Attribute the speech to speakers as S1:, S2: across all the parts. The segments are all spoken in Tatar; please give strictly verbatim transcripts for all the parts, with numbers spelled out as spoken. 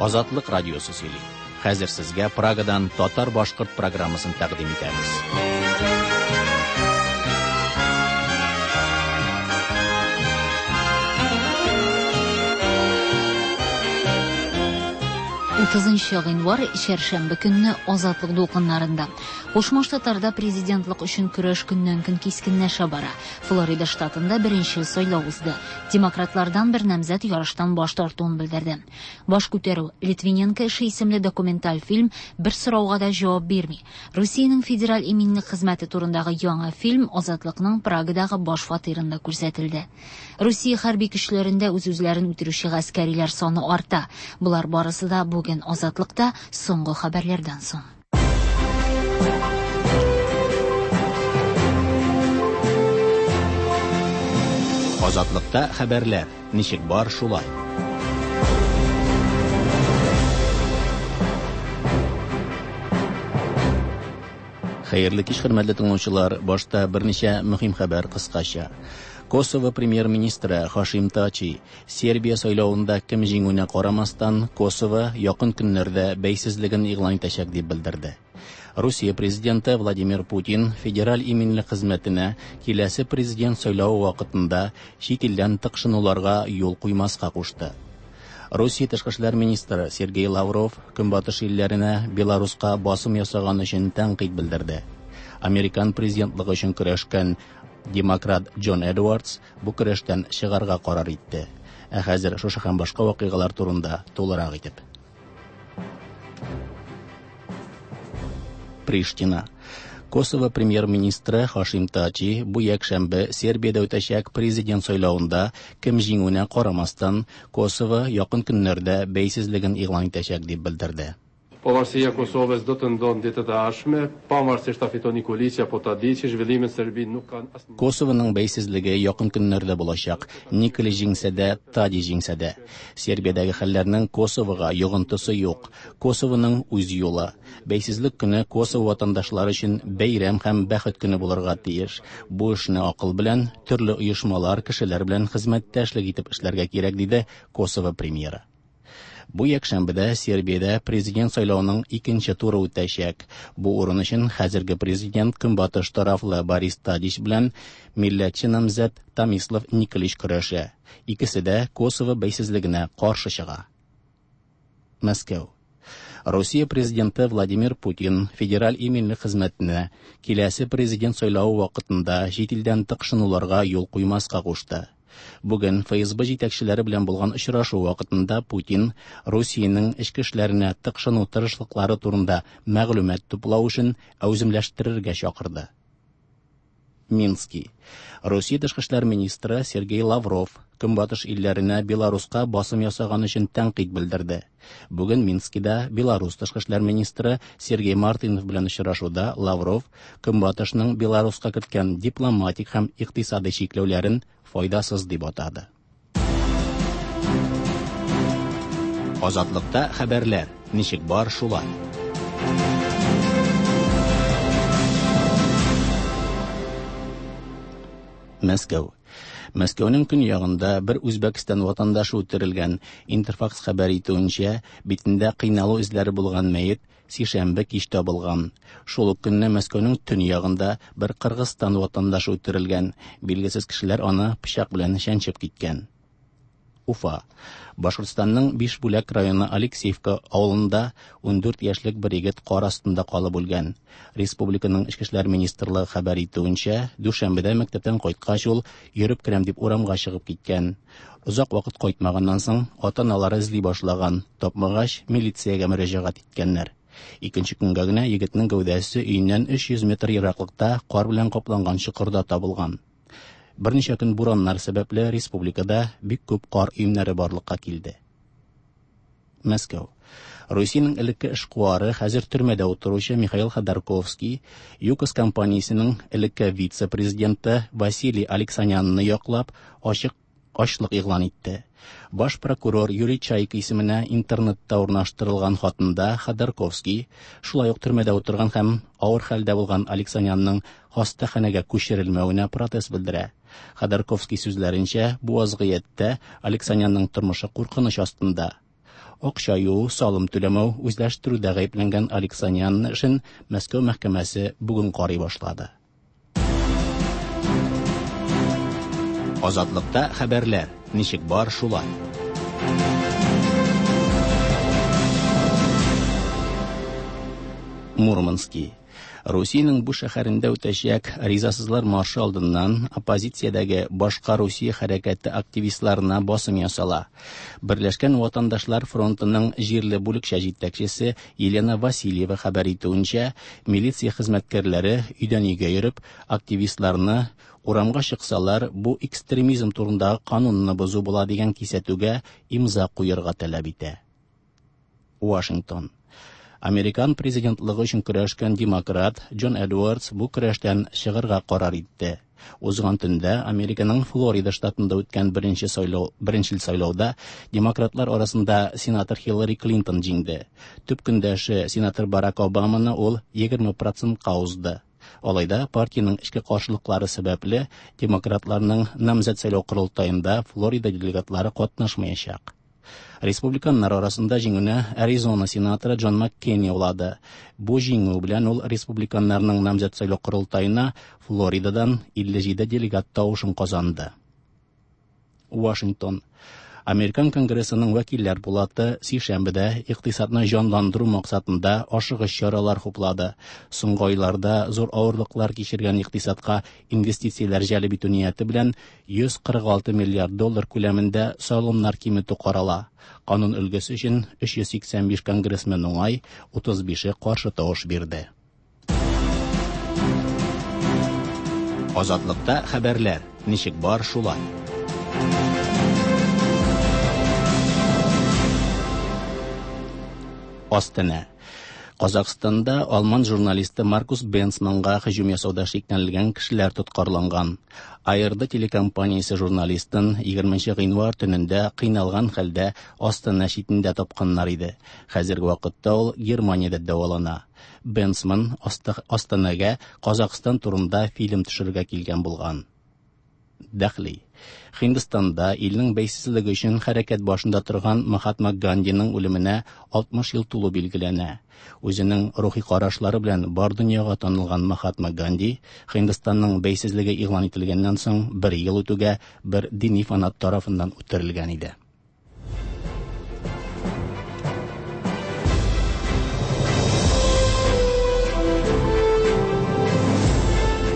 S1: Азатлык радиосы сөйли. Хәзер сезгә Прагадан татар-башкорт программасын тәкъдим итәбез.
S2: утызынчы гыйнвар чәршәмбе көнне Азатлык дулкыннарында. Кушма Штатларда президентлык өчен көрәш көннән-көн кискенләшә бара. Флорида штатында беренче сайлау узды. Демократлардан бер намзәт ярыштан баш тартуын белдерде. Баш күтәрү Литвиненко эше исемле документаль фильм бер сорауга да җавап бирми. Русиянең федераль иминлек хезмәте турындагы яңа фильм Азатлыкның Прагадагы баш фатирында күрсәтелде. Русия хәрби көчләрендә үз-үзләрен үтерүче гаскәриләр саны арта. Болар барысы да бүген Азатлыкта соңгы хәбәрләрдән соң.
S1: Азатлыкта хәбәрләр ничек бар шулай. Хәерле кич, хөрмәтле тыңлаучылар. Башта берничә мөһим хәбәр кыскача. Косово премьер-министры Хашим Тачи Сербия сайлавында кем җиңүенә карамастан, Косово якын көннәрдә бәйсезлеген игълан итәчәк дип белдерде. Русия президенты Владимир Путин федераль иминлек хезмәтенә киләсе президент сайлавы вакытында чит илдән тыкшынуларга юл куймаска кушты. Русия тышкы эшләр министры Сергей Лавров Көнбатыш илләренә Беларуска басым ясаган өчен тәнкыйть белдерде. Американ президентлыгы өчен көрәшкән демократ Джон Эдвардс бу көрәштән чыгарга карар итте. Ә хәзер шушы һәм башка вакыйгалар турында тулырак итеп. Приштина. Косово премьер-министры Хашим Тачи бу якшәмбе Сербиядә үтәчәк президент сайлавында кем җиңүенә карамастан, Косово якын көннәрдә бәйсезлеген игълан итәчәк дип белдерде.
S3: Pavarësia e Kosovës do të ndodhë në ditët e ardhshme, pavarësisht ta fiton Nikoliçi apo Tadiçi, zhvillimet në Serbi nuk kanë asnjë.
S1: Kosovоның бәйсезлеге якын көннәрдә булачак. Николич җиңсә дә, Тади җиңсә дә. Сербиядәге хәлләрнең Косовога йогынтысы юк. Косовоның үз юлы. Бәйсезлек көне Косово ватандашлары өчен бәйрәм һәм бәхет көне булырга тиеш. Бу эшне акыл белән, төрле оешмалар, кешеләр белән хезмәттәшлек итеп эшләргә кирәк, диде Косово премьеры. Бу якшәмбедә Сербиядә президент сайлавының икенче туры үтәчәк. Бу урын өчен хәзерге президент Көнбатыш тарафлы Борис Тадич белән милләтче намзәт Томислав Николич көрәшә. Икесе дә Косово бәйсезлегенә каршы чыга. Мәскәү. Русия президенты Владимир Путин федераль иминлек хезмәтенә киләсе президент сайлавы вакытында чит илдән тыкшынуларга юл куймаска кушты. Бүген Эф Эс Бэ җитәкчеләре белән булган очрашу вакытында Путин Русиянең эчке эшләренә тыкшыну тырышлыклары турында мәгълүмат туплау өчен әүземләштерергә чакырды. Мински. Русия тышкы эшләр министры Сергей Лавров Көнбатыш илләренә Беларуска басым ясаган өчен тәнкыйть белдерде. Бүген Минскида Беларус тышкы эшләр министры Сергей Мартынов белән очрашуда Лавров Көнбатышның Беларуска керткән дипломатик һәм икътисади чикләүләрен файдасыз дип атады. Азатлыкта хәбәрләр ничек бар шулай. Мәскәү. Мәскәүнең көньягында бер Үзбәкстан ватандашы үтерелгән. Интерфакс хәбәр итүенчә, битендә кыйналу эзләре булган мәет сишәмбе кич табылган. Шул ук көнне Мәскәүнең төньягында бер Кыргызстан ватандашы үтерелгән. Билгесез кешеләр аны пычак белән чәнчеп киткән. Уфа. Башкортстанның Бишбүләк районы Алексеевка авылында ундүрт яшьлек бер егет кар астында калып үлгән. Республиканың Эчке эшләр министрлыгы хәбәр итүенчә, дүшәмбедә мәктәптән кайткач ул йөреп керәм дип урамга чыгып киткән. Озак вакыт кайтмаганнан соң ата-аналары эзли башлаган, тапмагач милициягә мөрәҗәгать иткәннәр. Икенче көнгә генә егетнең гәүдәсе өеннән өч йөз метр ераклыкта кар белән капланган чокырда табылган. Берничә көн бураннар сәбәпле республикада бик күп кар өемнәре барлыкка килде. Мәскәү. Русиянең элекке эшкуары, хәзер төрмәдә утыручы Михаил Ходорковский, ЮКОС компаниясенең элекке вице-президенты Василий Алексанянны яклап, ачык ачлык игълан итте. Баш прокурор Юрий Чайка исеменә интернетта урнаштырылган хатында Ходорковский шулай ук төрмәдә утырган һәм авыр хәлдә булган Алексанянның хастаханәгә күчерелмәвенә протест белдерә. Ходорковский сүзләренчә, бу вазгыятьтә Алексанянның тормышы куркыныч астында. Акча юу, салым түләмәү, үзләштерүдә гаепләнгән Алексанян эшен Мәскәү мәхкәмәсе бүген карый башлады. Азатлыкта хәбәрләр ничек бар шулай. Мурманский. Русиянең бу шәһәрендә үтәчәк ризасызлар маршы алдыннан оппозициядәге башка Русия хәрәкәте активистларына басым ясала. Берләшкән ватандашлар фронтының җирле бүлекчә җитәкчесе Елена Васильева хәбәр итүенчә, милиция хезмәткәрләре өйдән өйгә йөреп, активистларны урамга чыксалар, бу экстремизм турындагы канунны бозу була дигән кисәтүгә имза куярга таләп итә. Вашингтон. Американ президентлыгы өчен көрәшкән демократ Джон Эдвардс бу көрәштән чыгарга карар итте. Узган төндә Американың Флорида штатында үткән беренче сайлау, беренчел сайлауда демократлар арасында сенатор Хиллари Клинтон җиңде. Төп көндәше сенатор Барак Обаманы ул егерме процентка узды. Алай да партиянең эчке каршылыклары сәбәпле демократларның намзәт сайлау корылтаенда Флорида делегатлары катнашмаячак. Республиканнар арасында җиңүне Аризона сенаторы Джон Маккейн яулады. Бу җиңү белән ул республиканнарның намзәт сайлау корылтаена Флоридадан илле җиде делегат тавышын казанды. Вашингтон. Американ Конгрессының вәкилләр пулаты сишәмбедә икътисадны җанландыру максатында ашыгыч чаралар хуплады. Соңгы айларда зур авырлыклар кичергән икътисадка инвестицияләр җәлеп итү нияте белән йөз кырык алты миллиард доллар күләмендә салымнар киметү карала. Канун өлгесе өчен өч йөз сиксән биш конгрессмен уңай, утыз бише каршы тавыш бирде. Азатлыкта хәбәрләр ничек бар шулай. Астана. Казахстанда алман журналисты Маркус Бенцманга һөҗүм ясауда шикләнелгән кешеләр тоткарланган. А Р Д телекомпаниясе журналистын егерменче гыйнвар төнендә кыйналган хәлдә Астана читендә тапканнар иде. Хәзерге вакытта ул Германиядә дәвалана. Бенцман Астанага Казахстан турында фильм төшерергә килгән булган. Дәхли. Һиндстанда илнең бәйсезлеге өчен хәрәкәт башында торган Махатма Гандиның үлеменә алтмыш ел тулу билгеләнә. Үзенең рухи карашлары белән бар дөньяга танылган Махатма Ганди Һиндстанның бәйсезлеге игълан ителгәннән соң бер ел үтүгә бер дини фанат тарафыннан үтерелгән иде.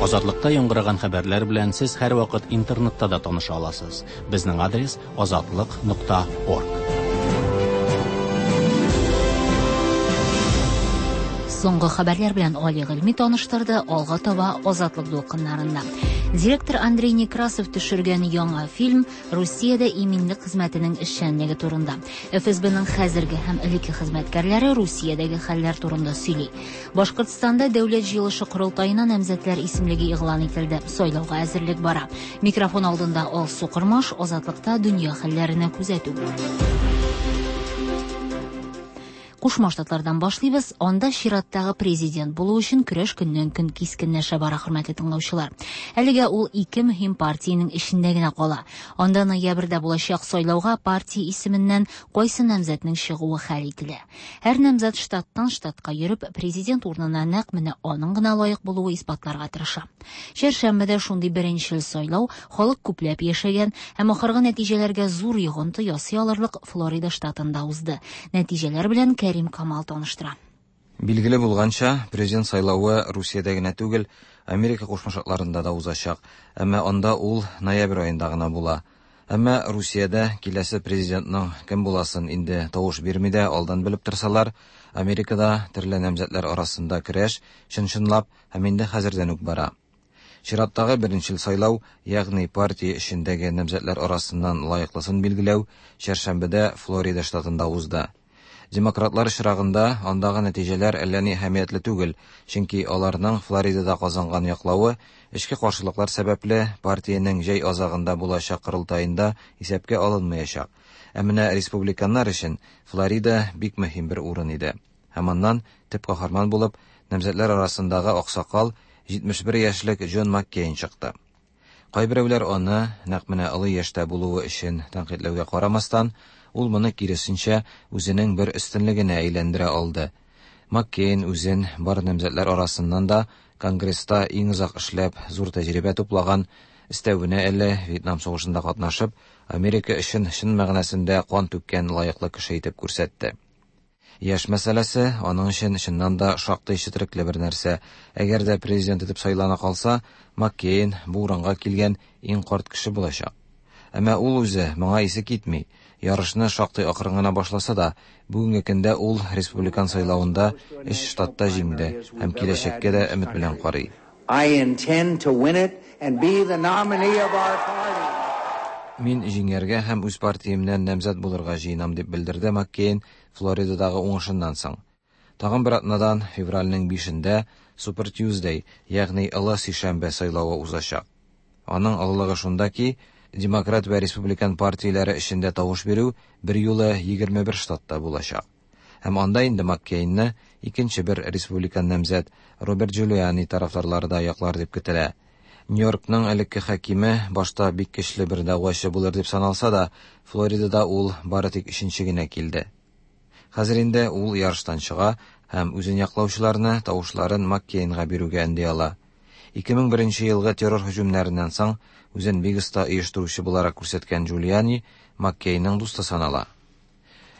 S1: Азатлыкта яңгыраган хәбәрләр белән сез һәр вакыт интернетта да таныша аласыз. Безнең адрес азатлык нокта орг.
S2: Соңгы хәбәрләр белән Али Гыйльми таныштырды, алга таба Азатлык дулкыннарында. Директор Андрей Некрасов төшергән яңа фильм Русиядә иминлек хезмәтенең эшчәнлеге турында. Эф Эс Б-ның хәзерге һәм элекке хезмәткәрләре Русиядәге хәлләр турында сөйли. Башкортстанда дәүләт җыелышы корылтаена намзәтләр исемлеге игълан ителде. Сайлауга әзерлек бара. Микрофон алдында Алсу Кормаш, Азатлыкта дөнья хәлләренә күзәтү. Кушма Штатлардан башлыйбыз. Анда чираттагы президент булу өчен көрәш көннән-көн кискенләшә бара, хөрмәтле тыңлаучылар. Әлегә ул ике мөһим партиянең эчендә генә кала. Анда ноябрьдә булачак сайлауга партия исеменнән кайсы намзәтнең чыгуы хәл ителә. Һәр намзәт штаттан штатка йөреп, президент урынына нәкъ менә аның гына лаек булуы исбатларга тырыша. Чәршәмбедә шундый беренчел сайлау халык күпләп яшәгән һәм ахыргы нәтиҗәләргә зур йогынты ясый алырлык Флорида штатында узды. Нәтиҗәләр белән Кәрим Камал таныштыра.
S4: Билгеле булганча, президент сайлавы Русиядә генә түгел, Америка Кушма Штатларында да узачак. Әмма анда ул ноябрь аенда гына була. Әмма Русиядә киләсе президентның кем буласын инде тавыш бирми дә алдан белеп торсалар, Америкада төрле намзәтләр арасында көрәш чын-чынлап һәм инде хәзердән үк бара. Чираттагы беренчел сайлау, ягъни партия эчендәге намзәтләр арасыннан лаеклысын билгеләү, чәршәмбедә Флорида штатында узды. Демократлар очрагында андагы нәтиҗәләр әллә ни әһәмиятле түгел, чөнки аларның Флоридада казанган яклавы эчке каршылыклар сәбәпле партиянең җәй азагында булачак корылтаенда исәпкә алынмаячак. Ә менә республиканнар өчен Флорида бик мөһим бер урын иде. Һәм аннан төп каһарман булып намзәтләр арасындагы аксакал җитмеш бер яшьлек Джон Маккейн чыкты. Кайберәүләр аны нәкъ менә олы яшьтә булуы өчен тәнкыйтьләүгә карамастан, ул моны киресенчә үзенең бер өстенлегенә әйләндерә алды. Маккейн үзен бар намзәтләр арасыннан да Конгресста иң озак эшләп, зур тәҗрибә туплаган, өстәвенә әле Вьетнам сугышында катнашып, Америка өчен чын мәгънәсендә кан түккән лаеклы кеше итеп күрсәтте. Яшь мәсьәләсе аның өчен чыннан да шактый четерекле бер нәрсә. Әгәр дә президент итеп сайлана калса, Маккейн бу урынга килгән иң карт кеше булачак. Әмма ул үзе моңа исе китми. Ярышны шактый акрын гына башласа да, бүгенге көндә ул республикан сайлавында өч штатта җиңде һәм киләчәккә дә өмет белән карый.
S5: I intend to win it and be the nominee of our party.
S4: Мин җиңәргә һәм үз партиямнән намзәт булырга җыенам, дип белдерде Маккейн Флоридадагы уңышыннан соң. Тагын бер атнадан февральнең бишендә Super Tuesday, ягъни Олы сишәмбе сайлавы узачак. Аның олылыгы шунда ки, Демократ вә Республикан партияләре эчендә тавыш бирү бер юлы егерме бер штатта булачак. Һәм анда инде Маккейнны икенче бер республикан намзәт Роберт Джулиани тарафдарлары да яклар дип көтелә. Нью-Йоркның элекке хакиме башта бик көчле бер дәгъвачы булыр дип саналса да, Флоридада ул бары тик өченче генә килде. Хәзер инде ул ярыштан чыга һәм үзен яклаучыларны тавышларын Маккейнга бирүгә өнди ала. ике мең беренче елгы террор һөҗүмнәреннән соң үзен бик оста оештыручы буларак күрсәткән Джулиани Маккейнның дусты санала.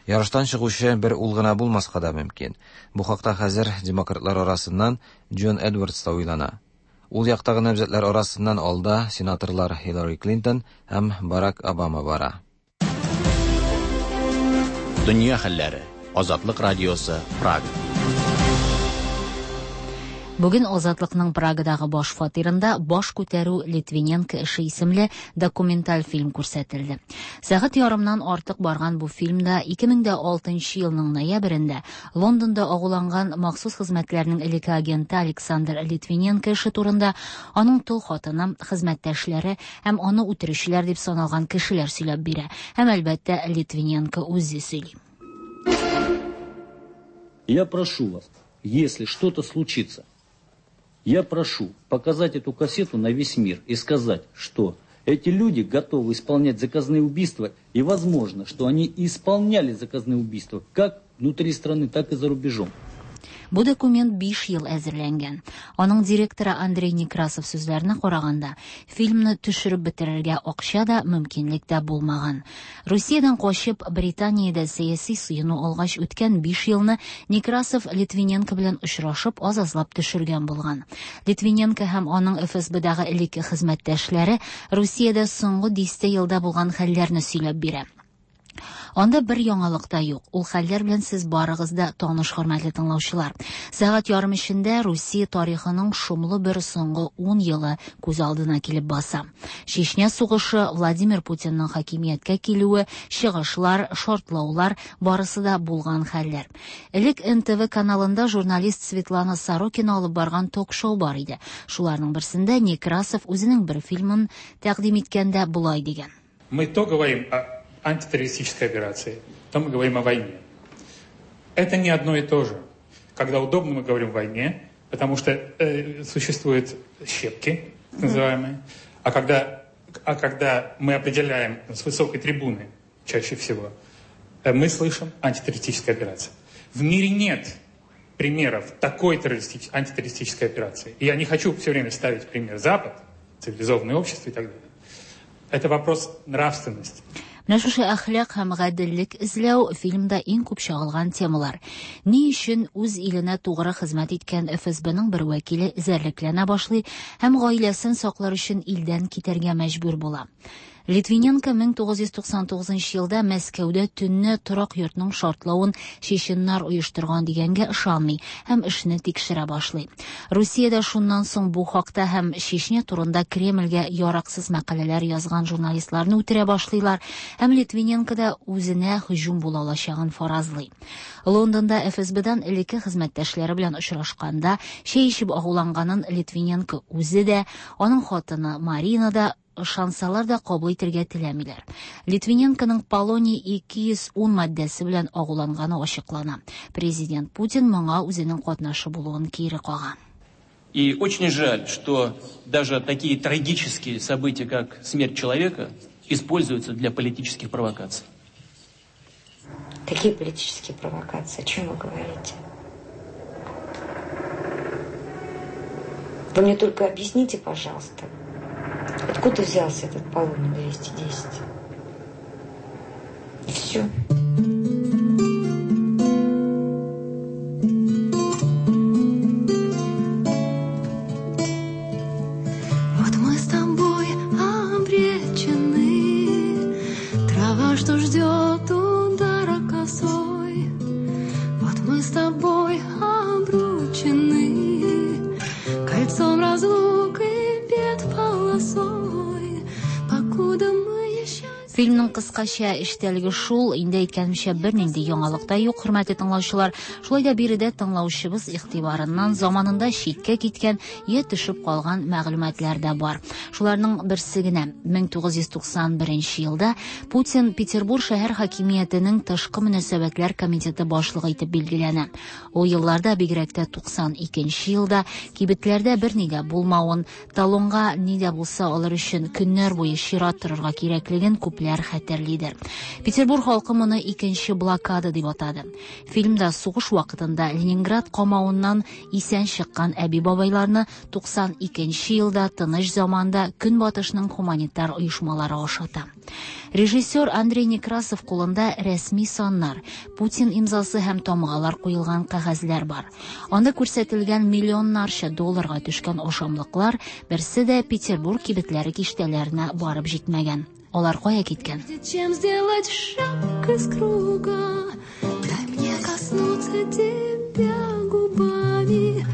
S4: Ярыштан чыгучы бер ул гына булмаска да мөмкин. Бу хакта хәзер демократлар арасыннан Джон Эдвардс та уйлана. Ул яктагы намзәтләр арасыннан алда сенаторлар Хиллари Клинтон һәм Барак Обама бара.
S1: Дөнья хәлләре. Азатлык радиосы, Прага.
S2: Бүген Азатлыкның Прагадагы баш фатирында Баш күтәрү Литвиненко эше исемле документаль фильм күрсәтелде. Сәгать ярымнан артык барган бу фильмда ике мең дә алтынчы елның ноябрендә Лондонда агуланган махсус хезмәтләрнең элекке агенты Александр Литвиненко эше турында аның тол хатыны, хезмәттәшләре һәм аны үтерүчеләр дип саналган кешеләр сөйләп бирә. Һәм әлбәттә Литвиненко үзе сөйли.
S6: Я прошу вас, если что-то случится, я прошу показать эту кассету на весь мир и сказать, что эти люди готовы исполнять заказные убийства, и возможно, что они исполняли заказные убийства как внутри страны, так и за рубежом.
S2: Бу документ биш ел әзерләнгән. Аның директоры Андрей Некрасов сүзләренә караганда, фильмны төшереп бетерергә акча да, мөмкинлек тә булмаган. Русиядән качып, Британиядә сәяси сыену алгач үткән биш елны Некрасов Литвиненко белән очрашып, аз-азлап төшергән булган. Литвиненко һәм аның Эф Эс Б-дагы элекке хезмәттәшләре Русиядә соңгы дистә елда булган хәлләрне сөйләп бирә. Анда бер яңалык та юк. Ул хәлләр белән сез барыгыз да таныш, хөрмәтле тыңлаучылар. Сәгать ярым эчендә Русия тарихының шомлы бер соңгы ун елы күз алдына килеп баса. Чечня сугышы, Владимир Путинның хакимияткә килүе, чыгышлар, шартлаулар барысы да булган хәлләр. Элек Эн Тэ Вэ каналында журналист Светлана Сорокина алып барган ток-шоу бар иде. Шуларның берсендә Некрасов үзенең бер фильмын тәкъдим иткәндә болай дигән.
S7: Мы то говорим о антитеррористической операции, то мы говорим о войне. Это не одно и то же. Когда удобно, мы говорим о войне, потому что, э, существуют щепки, так называемые. А когда, а когда мы определяем с высокой трибуны, чаще всего, э, мы слышим антитеррористическая операция. В мире нет примеров такой террористич-, антитеррористической операции. И я не хочу все время ставить пример Запад, цивилизованное общество и так далее. Это вопрос нравственности.
S2: Менә шушы әхлак һәм гаделлек эзләү фильмда иң күп чагылган темалар. Ни өчен үз иленә тугры хезмәт иткән Эф Эс Б-ның бер вәкиле эзәрлекләнә башлый һәм гаиләсен саклар өчен илдән китәргә мәҗбүр була. Литвиненко мең тугыз йөз туксан тугызынчы елда Мәскәүдә төнне торак йортның шартлавын чеченнар оештырган дигәнгә ышанмый һәм эшне тикшерә башлый. Русиядә шуннан соң бу хакта һәм Чечня турында Кремльгә яраксыз мәкаләләр язган журналистларны үтерә башлыйлар һәм Литвиненко да үзенә һөҗүм була алачагын фаразлый. Лондонда Эф Эс Б-дан элекке хезмәттәшләре белән очрашканда чәй эчеп агуланганын Литвиненко үзе дә, аның хатыны Марина да ышансалар да кабул итәргә теләмиләр. Литвиненконың Полоний ике йөз ун маддәсе белән агуланганы ачыклана. Президент Путин моңа үзенең катнашы булуын кире кага.
S8: И очень жаль, что даже такие трагические события, как смерть человека, используются для политических провокаций.
S9: Какие политические провокации? О чем вы говорите? Вы мне только объясните, пожалуйста, откуда взялся этот полоний двести десять? И все.
S10: Вот мы с тобой обречены, трава, что ждет удара косой. Вот мы с тобой обручены, кольцом разлук и бед полосой, покуда мы еще...
S2: Фильмның кыскача эчтәлеге шул, инде әйткәнемчә бернинди яңалык та юк, хөрмәтле тыңлаучылар. Шулай да биредә тыңлаучыбыз игътибарыннан заманында читкә киткән я төшеп калган мәгълүматлар да бар. Шуларның берсе генә мең тугыз йөз туксан беренче елда Путин Петербург шәһәр хакимиятенең тышкы мөнәсәбәтләр комитеты башлыгы итеп билгеләнә. Ул елларда, бигрәк тә туксан икенче елда кибетләрдә берни дә булмавын, талонга ни дә булса алыр өчен көннәр буе чират торырга кирәклеген күпләр хәтерлидер. Петербург халкы моны икенче блокада дип атады. Фильмда сугыш вакытында Ленинград камавыннан исән чыккан әби-бабайларны туксан икенче елда тыныч заманда Көнбатышның гуманитар оешмалары ашата. Режиссер Андрей Некрасов кулында рәсми саннар, Путин имзасы һәм тамгалар куелган кәгазьләр бар. Анда күрсәтелгән миллионнарча долларга төшкән ашамлыклар берсе дә Петербург кибетләре киштәләренә барып җитмәгән. Алар кая киткән?
S10: Чем сделать шаг из круга? Дай мне коснуться тебя губами,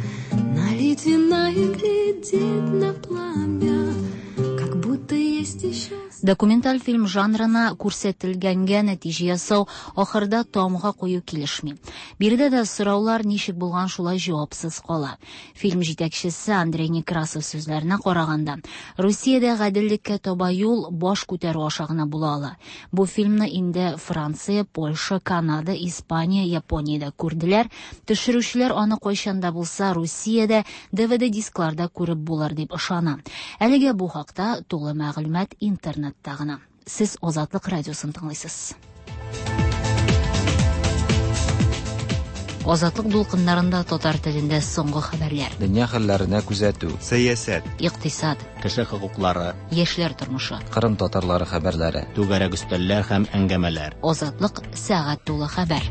S10: налить вина и глядеть на пламя, как будто есть еще...
S2: Документаль фильм жанрына күрсәтелгәнгә нәтиҗә ясау ахырда тамга кую килешми. Биредә дә сораулар ничек булган шулай җавапсыз кала. Фильм җитәкчесе Андрей Некрасов сүзләренә караганда, Русиядә гаделлеккә таба юл баш күтәрү аша гына була ала. Бу фильмны инде Франция, Польша, Канада, Испания, Япониядә күрделәр. Төшерүчеләр аны кайчан да булса Русиядә Д В Д дискларда күреп булыр дип ышана. Әлегә бу хакта тулы мәгълүмат интернет тагына. Сез Азатлык радиосын тыңлыйсыз. Азатлык дулкыннарында татар телендә соңгы хәбәрләр.
S4: Дөнья хәлләренә күзәтү,
S11: сәясәт,
S2: икътисад,
S1: кеше хокуклары,
S2: яшьләр тормышы,
S4: Кырым татарлары хәбәрләре,
S1: түгәрәк өстәлләр һәм әңгәмәләр.
S2: Азатлык сәгать тулы хәбәр.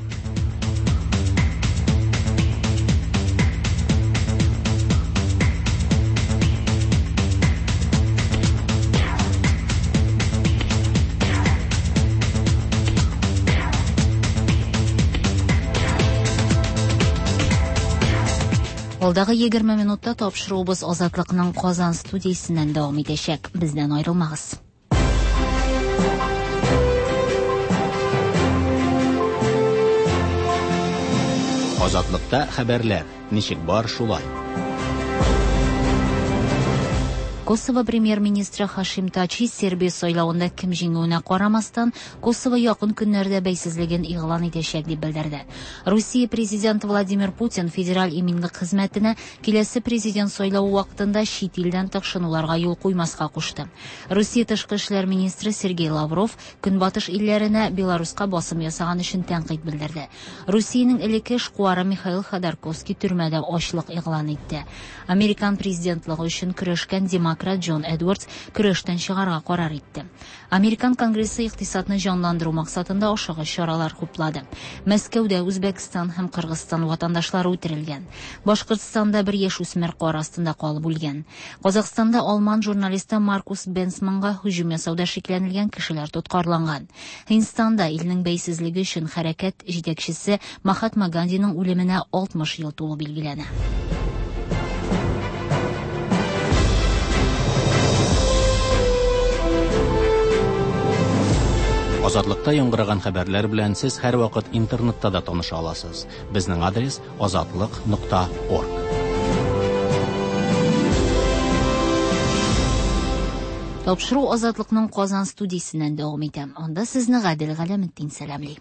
S2: Алдагы егерме минутта тапшыруыбыз Азатлыкның Казан студиясеннән дәвам итәчәк. Бездән аерылмагыз.
S1: Азатлыкта хәбәрләр ничек бар шулай.
S2: Косово премьер-министры Хашим Тачи Сербия сайлавында кем җиңүенә карамастан, Косово якын көннәрдә бәйсезлеген игълан итәчәк дип белдерде. Русия президенты Владимир Путин федераль иминлек хезмәтенә киләсе президент сайлавы вакытында чит илдән тыкшынуларга юл куймаска кушты. Русия тышкы эшләр министры Сергей Лавров Көнбатыш илләренә Беларуска басым ясаган өчен тәнкыйть белдерде. Русиянең элекке эшкуары Михаил Ходорковский төрмәдә ачлык игълан итте. Американ президентлыгы өчен көрәшкән демократ Джон Эдвардс көрәштән чыгарга карар итте. Американ Конгрессы икътисадны җанландыру максатында ашыгыч чаралар хуплады. Мәскәүдә Үзбәкстан һәм Кыргызстан ватандашлары үтерелгән. Башкортстанда бер яшь үсмер кар астында калып үлгән. Казахстанда алман журналисты Маркус Бенсманга һөҗүм ясауда шикләнелгән кешеләр тоткарланган. Һиндстанда илнең бәйсезлеге өчен хәрәкәт җитәкчесе Махатма Гандиның үлеменә алтмыш ел тулу билгеләнә.
S1: Азатлыкта яңгыраган хәбәрләр белән сез һәрвакыт интернетта да таныша аласыз. Безнең адрес азатлык нокта орг.
S2: Тапшыру Азатлыкның Казан студиясеннән дәвам итә. Анда сезне Гадел Галәметдин сәламли.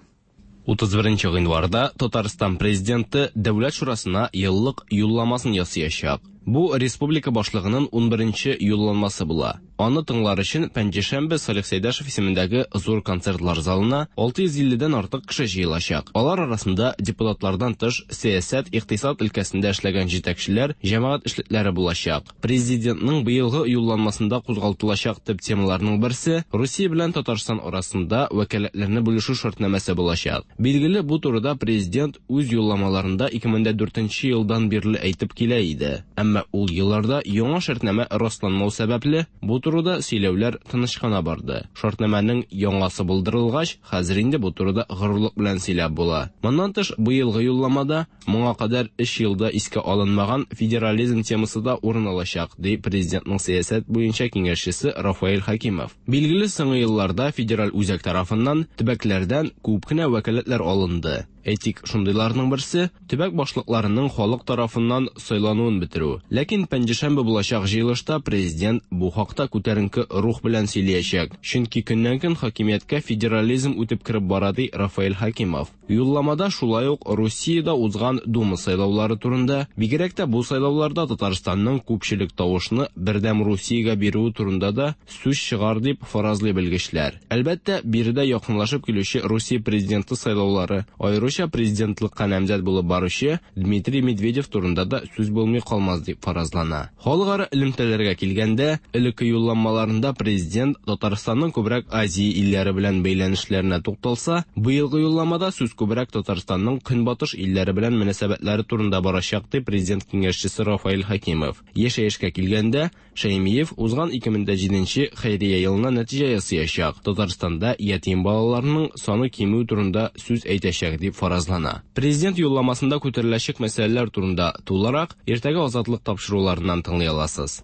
S12: Утыз беренче гыйнварда Татарстан президенты Дәүләт шурасына еллык юлламасын ясаячак.
S11: Бу республика башлыгының унберенче юлланмасы була. Аны тыңлар өчен Пәнҗешәмбе Салих Сәйдәшев исемендәге зур концертлар залына алты йөз илледән артык кеше җыелачак. Алар арасында депутатлардан тыш сәясәт, икътисад өлкәсендә эшләгән җитәкчеләр, җәмәгать эшлекләре булачак. Президентның быелгы юлланмасында кузгалтылачак төп темаларның берсе Русия белән Татарстан арасында вәкаләтләрне бүлешү шартнамәсе булачак. Билгеле, бу турыда президент үз юлламаларында ике мең дә дүртенче елдан бирле әйтеп килә иде. Әмма ул елларда яңа шартнамә расланмау сәбәпле бу турыда сөйләүләр тыныч кына барды. Шартнамәнең яңасы булдырылгач, хәзер инде бу турыда горурлык белән сөйләп була. Моннан тыш, быелгы юлламада моңа кадәр өч елда искә алынмаган федерализм темасы да урын алачак, ди президентның сәясәт буенча киңәшчесе Рафаэль Хакимов. Билгеле, соңгы елларда федераль үзәк тарафыннан төбәкләрдән күп кенә вәкаләтләр алынды. Әйтик, шундыйларның берсе төбәк башлыкларының халык тарафыннан сайлануын бетерү. Ләкин пәнҗешәмбе булачак җыелышта президент бу хакта күтәренке рух белән сөйләячәк. Чөнки көннән-көн хакимияткә федерализм үтеп кереп бара, ди Рафаэль Хакимов. Юлламада шулай ук Русиядә узган Дума сайлаулары турында, бигрәк тә бу сайлауларда Татарстанның күпчелек тавышны Бердәм Русиягә бирүе турында да сүз чыгар дип фаразлый белгечләр. Әлбәттә, биредә якынлашып килүче Русия президенты сайлаулары, аеруча президентлыкка намзәт булып баручы Дмитрий Медведев турында да сүз булмый калмас дип фаразлана. Халыкара элемтәләргә килгәндә, элекке юлламаларында президент Татарстанның күбрәк Азия илләре белән бәйләнешләренә тукталса, быелгы юлламада сүз күбрәк Татарстанның көнбатыш илләре белән мөнәсәбәтләре турында барачак, ди президент киңәшчесе Рафаэль Хакимов. Яшәешкә килгәндә, Шәймиев узган ике мең дә җиденче хәйрия елына нәтиҗә ясаячак. Татарстанда ятим балаларның саны кимү турында сүз әйтәчәк дип фаразлана. Президент юлламасында күтәреләчәк мәсьәләләр турында тулырак иртәгә Азатлык тапшыруларыннан тыңлый аласыз.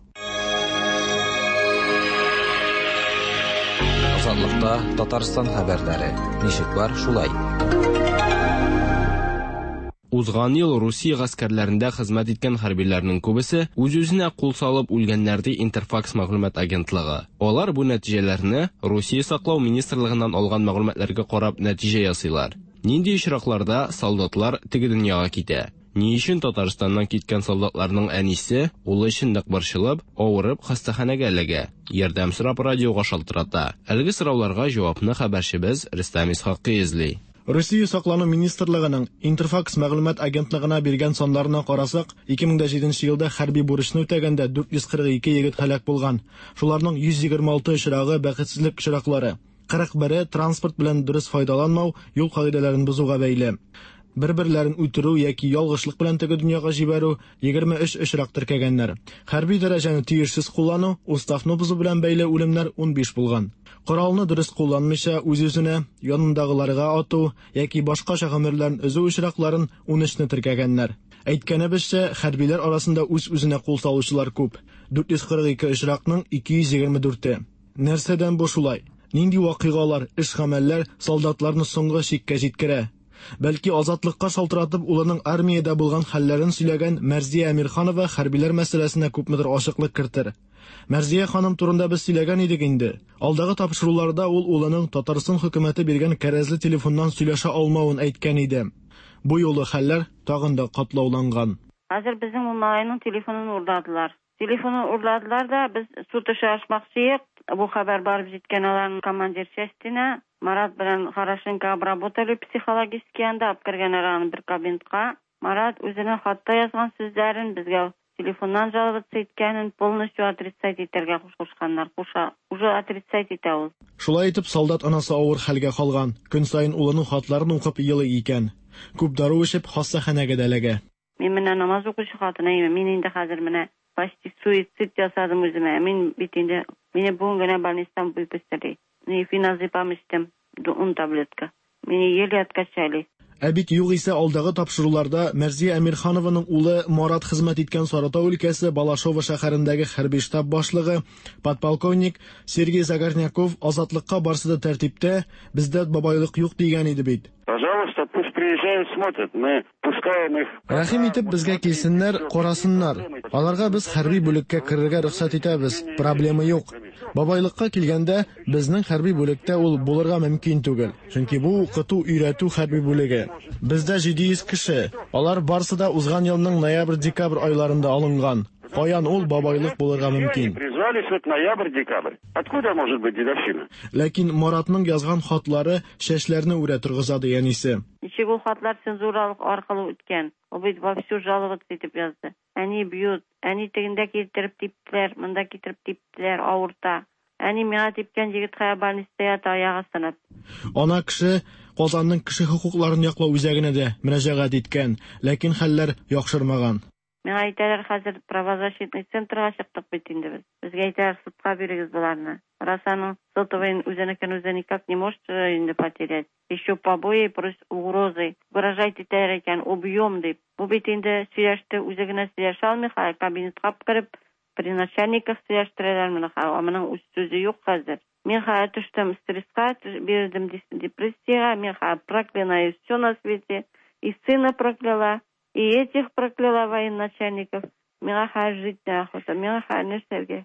S4: Азатлыкта Татарстан хәбәрләре. Ничек бар, шулай.
S11: Узган ел Русия гаскәрләрендә хезмәт иткән хәрбиләрнең күбесе үз-үзенә кул салып үлгәннәр, ди Интерфакс мәгълүмат агентлыгы. Алар бу нәтиҗәләрне Русия саклау министрлыгыннан алган мәгълүматларга карап нәтиҗә ясыйлар. Нинди очракларда солдатлар теге дөньяга китә? Ни өчен Татарстаннан киткән солдатларның әнисе улы өчен нык борчылып, авырып хастаханәгә эләгә? Ярдәм сорап радиога шалтырата. Әлеге сорауларга җавапны хәбәрчебез Рөстәм Исхакый эзли.
S12: Русия саклану министрлыгының Интерфакс мәгълүмат агентлыгына биргән саннарына карасак, ике мең дә җиденче елда хәрби бурычны үтәгәндә дүрт йөз кырык ике егет һәлак булган. Шуларның йөз егерме алты очрагы бәхетсезлек очраклары. Кырык бере транспорт белән дөрес файдаланмау, юл кагыйдәләрен бозуга бәйле. Бер-берләрен үтерү яки ялгышлык белән теге дөньяга җибәрү егерме өч очрак теркәгәннәр. Хәрби дәрәҗәне тиешсез куллану, уставны бозу белән бәйле үлемнәр унбиш булган. Коралны дөрес кулланмыйча үз-үзенә, янындагыларга ату яки башкача гомерләрен өзү очракларын унөчне теркәгәннәр. Әйткәнебезчә, хәрбиләр арасында үз-үзенә кул салучылар күп. дүрт йөз кырык ике очракның ике йөз егерме дүрте. Нәрсәдән бу шулай? Нинди вакыйгалар, эш-гамәлләр солдатларны соңгы чиккә җиткерә? Бәлки Азатлыкка шалтыратып улының армиядә булган хәлләрен сөйләгән Мәрзия Әмирханова хәрбиләр мәсьәләсенә күпмедер ачыклык кертер. Мәрзия ханым турында без сөйләгән идек инде. Алдагы тапшыруларда ул улының Татарстан хөкүмәте биргән кәрәзле телефоннан сөйләшә алмавын әйткән иде. Бу юлы хәлләр тагын да катлауланган.
S13: Хәзер безнең ул малайның телефонын урладылар. Телефонын урладылар да без суд эше ачмакчы идек. Бу хәбәр барып җиткән аларның командир частенә. Марат белән Хорошенко обработали психологически анда, алып кергәннәр аны бер кабинетка. Марат үзенең хатта язган сүзләрен безгә телефоннан жаловаться иткәнен полностью отрицать итәргә кушканнар. Куша, уже отрицать итә ул.
S12: Шулай итеп, солдат анасы авыр хәлгә калган. Көн саен улының хатларын укып елый икән. Күп дару эчеп хастаханәгә дә эләгә.
S13: Мин менә намаз укучы хатын, мин инде хәзер менә почти суицид ясадым үземә. Мин бит инде мине бүген генә больницадан выпустили. Феназепам эчтем, ун таблетка. Мине еле откачали.
S12: Ә бит югыйсә алдагы тапшыруларда Мәрзия Әмирханованың улы Марат хезмәт иткән Саратау өлкәсе Балашова шәһәрендәге хәрби штаб башлыгы подполковник Сергей Загорняков Азатлыкка барсы да тәртиптә, бездә бабайлык юк дигән иде бит.
S14: Пожалуйста, пусть приезжают, смотрят. Мы пускаем их.
S12: Рәхим итеп безгә килсеннәр, карасыннар. Аларга без хәрби бүлеккә керергә рөхсәт итәбез. Проблема юк. Бабайлыкка килгәндә, безнең хәрби бүлектә ул булырга мөмкин түгел. Чөнки бу укыту, өйрәтү хәрби бүлеге. Бездә җиде йөз кеше. Алар барсы да узган елның ноябрь-декабрь айларында алынган. Каян ул бабайлык булырга мөмкин?
S14: Призвались вот ноябрь-декабрь. Откуда может быть дедовщина?
S12: Ләкин Маратның язган хатлары чәчләрне үрә торгыза, ди әнисе.
S13: Ничек ул хатлар цензуралык аркылы үткән? Ул бит вовсю жаловаться итеп язды. Әни бьют, әни тегендә китереп типтеләр, монда китереп типтеләр, авырта. Әни миңа типкән егет хәзер больницада ята, аягы сынып.
S12: Ана кеше Казанның кеше хокукларын яклау үзәгенә дә мөрәҗәгать иткән, ләкин хәлләр яхшырмаган.
S13: Миңа әйтәләр, хәзер правозащитный центрга чыктык бит инде без. Безгә әйтәләр, судка бирегез боларны. Раз аның сотовыйын үзенекен үзе никак не может инде потерять. Еще побои, плюс угрозы. Угрожать итәләр икән, убьем дип. Бу бит инде сөйләште, үзе генә сөйләшә алмый, хәзер кабинетка кереп, при начальниках сөйләштерәләр моны. Моның үз сүзе юк хәзер. Мин хәзер төштем стресска, бирдем депрессияга, мин хәзер проклинаю все на свете, и сына прокляла, и этих прокляла военачальников. Миңа хәзер жить неохота, миңа хәзер нәрсәгә?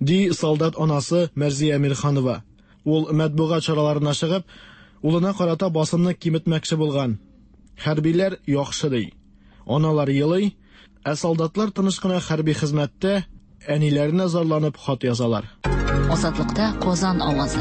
S12: Ди солдат анасы Мәрзия Мирханова. Ул матбугат чараларына чыгып, улына карата басымны киметмәкче булган. Хәрбиләр яхшы ди. Аналар елый, ә солдатлар тыныч кына хәрби хезмәттә әниләренә зарланып хат язалар.
S2: Азатлыкта Казан авазы.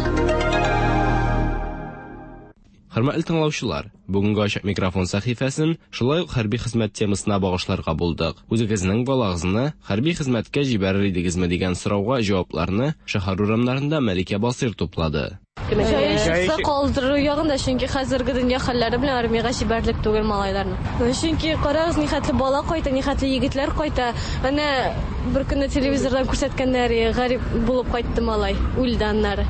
S11: Хөрмәтле тыңлаучылар, бүгенге ачык микрофон сәхифәсен шулай ук хәрби хезмәт темасына багышларга булдык. Үзегезнең балагызны хәрби хезмәткә җибәрер идегезме дигән сорауга җавапларны шәһәр урамнарында Мәликә Басыр туплады.
S15: Җайсыз калдыру ягында, чөнки хәзерге дөнья хәлләре белән армиягә җибәрерлек түгел малайларны. Чөнки карагыз, нихәтле бала кайта, нихәтле егетләр кайта. Әнә бер көнне телевизордан күрсәткәннәр, гарип булып кайтты малай, үлде аннары.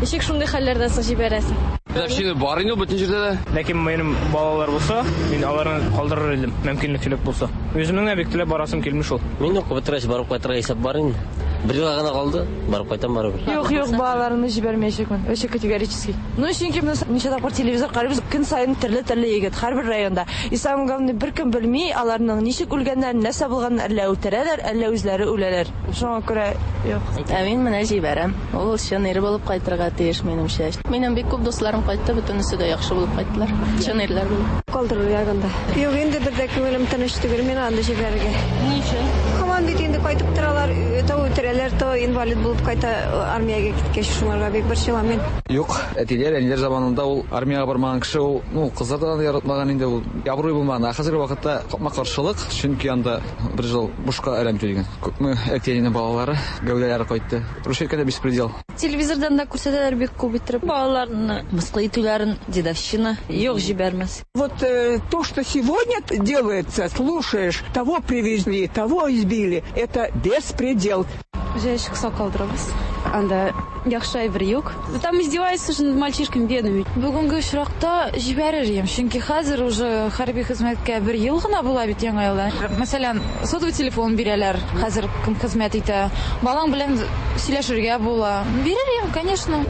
S15: Ничек шундый хәлләрдән соң җибәрәсең?
S16: Дедовщина бар инде бөтен җирдә дә.
S17: Ләкин минем балалар булса, мин аларны калдырыр идем, мөмкинлеклек булса. Үземнең дә бик теләп барасым килми шул.
S18: Мин укып бетергәч барып кайтырга исәп бар инде. Бер елга гына калды, барып кайтам барыбер.
S19: Юк, юк, балаларымны җибәрмәячәкмен. Вообще категорически. Ну, чөнки без ничә тапкыр телевизор карыйбыз, көн саен төрле-төрле егет һәрбер районда. И самое главное, беркем белми аларның ничек үлгәннәрен, нәрсә булганын, әллә үтерәләр, әллә үзләре үләләр. Шуңа күрә юк.
S20: Ә мин менә җибәрәм. Ул чын ир булып кайтырга тиеш минемчә. Минем бик күп дусларым кайтты, бөтенесе дә яхшы булып кайттылар. Чын ирләр булып.
S21: Калдырыр ягында. Юк, инде бер дә күңелем тыныч түгел, мин анда җибәрергә.
S15: Ни өчен?
S21: Һаман бит инде кайтып торалар, то үтерәләр, то инвалид булып кайта армиягә киткәч, шуңарга бик борчылам мин.
S16: Юк, әтиләр, әниләр заманында ул армиягә бармаган кеше ул, ну, кызлар да яратмаган инде ул, абруй булмаган. Ә хәзерге вакытта капма-каршылык, чөнки анда бер ел бушка әрәм түләгән. Күпме әти-әнинең балалары, гәүдәләре кайтты. Русча әйткәндә беспредел.
S22: Телевизордан да күрсәтәләр бик күп иттереп. Балаларны мыскыл итүләрен, дедовщина, юк җибәрмәс.
S23: Вот э, то, что сегодня делается, слушаешь, того привезли, того избили, это беспредел.
S24: Җәй чыкса калдырабыз. Анда яхшы әйбер юк. Там издеваются же над мальчишками бедными.
S25: Бүгенге очракта җибәрер идем, чөнки хәзер уже хәрби хезмәткә бер ел гына була бит яңа елда. Мәсәлән, сотовый телефон бирәләр, хәзер кем хезмәт итә. Балаң белән сөйләшергә була. Бирер идем, конечно.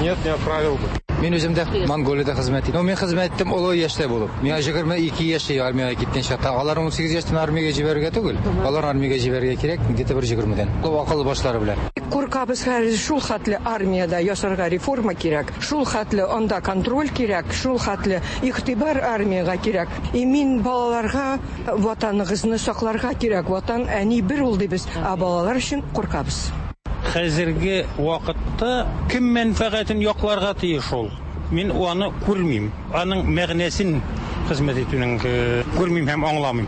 S3: Нет, не отправил бы.
S26: Мин үзем дә Монголиядә хезмәт иттем. Мин хезмәт иттем олы яшьтә булып. Миңа егерме ике яшьтә армиягә киткән чакта, алар ун сигез яшьтән армиягә җибәрергә түгел. Алар армиягә җибәрергә кирәк, где-то бер егермедән. Акыл башлары белән.
S23: Куркабыз хәзер шул хәтле армиядә ясарга реформа кирәк, шул хәтле анда контроль кирәк, шул хәтле игътибар армиягә кирәк. И мин балаларга ватаныгызны сакларга кирәк. Ватан әни бер ул дибез, ә балалар өчен куркабыз.
S27: Хәзерге вакытта кем мәнфәгатен якларга тиеш ул? Мин аны күрмим. Аның мәгънәсен хезмәт итүнең күрмим һәм аңламыйм.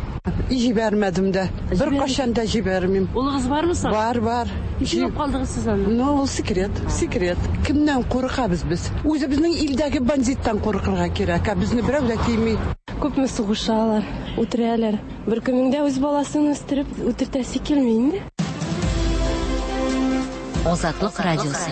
S28: Җибәрмәдем дә. Бер кашан да җибәрмим.
S29: Улыгыз бармы соң?
S28: Бар, бар.
S29: Ничек калдыгыз сез анда?
S28: Ну, ул секрет, секрет. Кемнән куркабыз без? Үзебезнең илдәге бандиттан куркырга кирәк, ә безне берәү дә тими.
S15: Күпме сугышалар, үтерәләр. Бер кемнең дә үз баласын үстереп үтертәсе килми инде.
S2: Азатлык радиосы.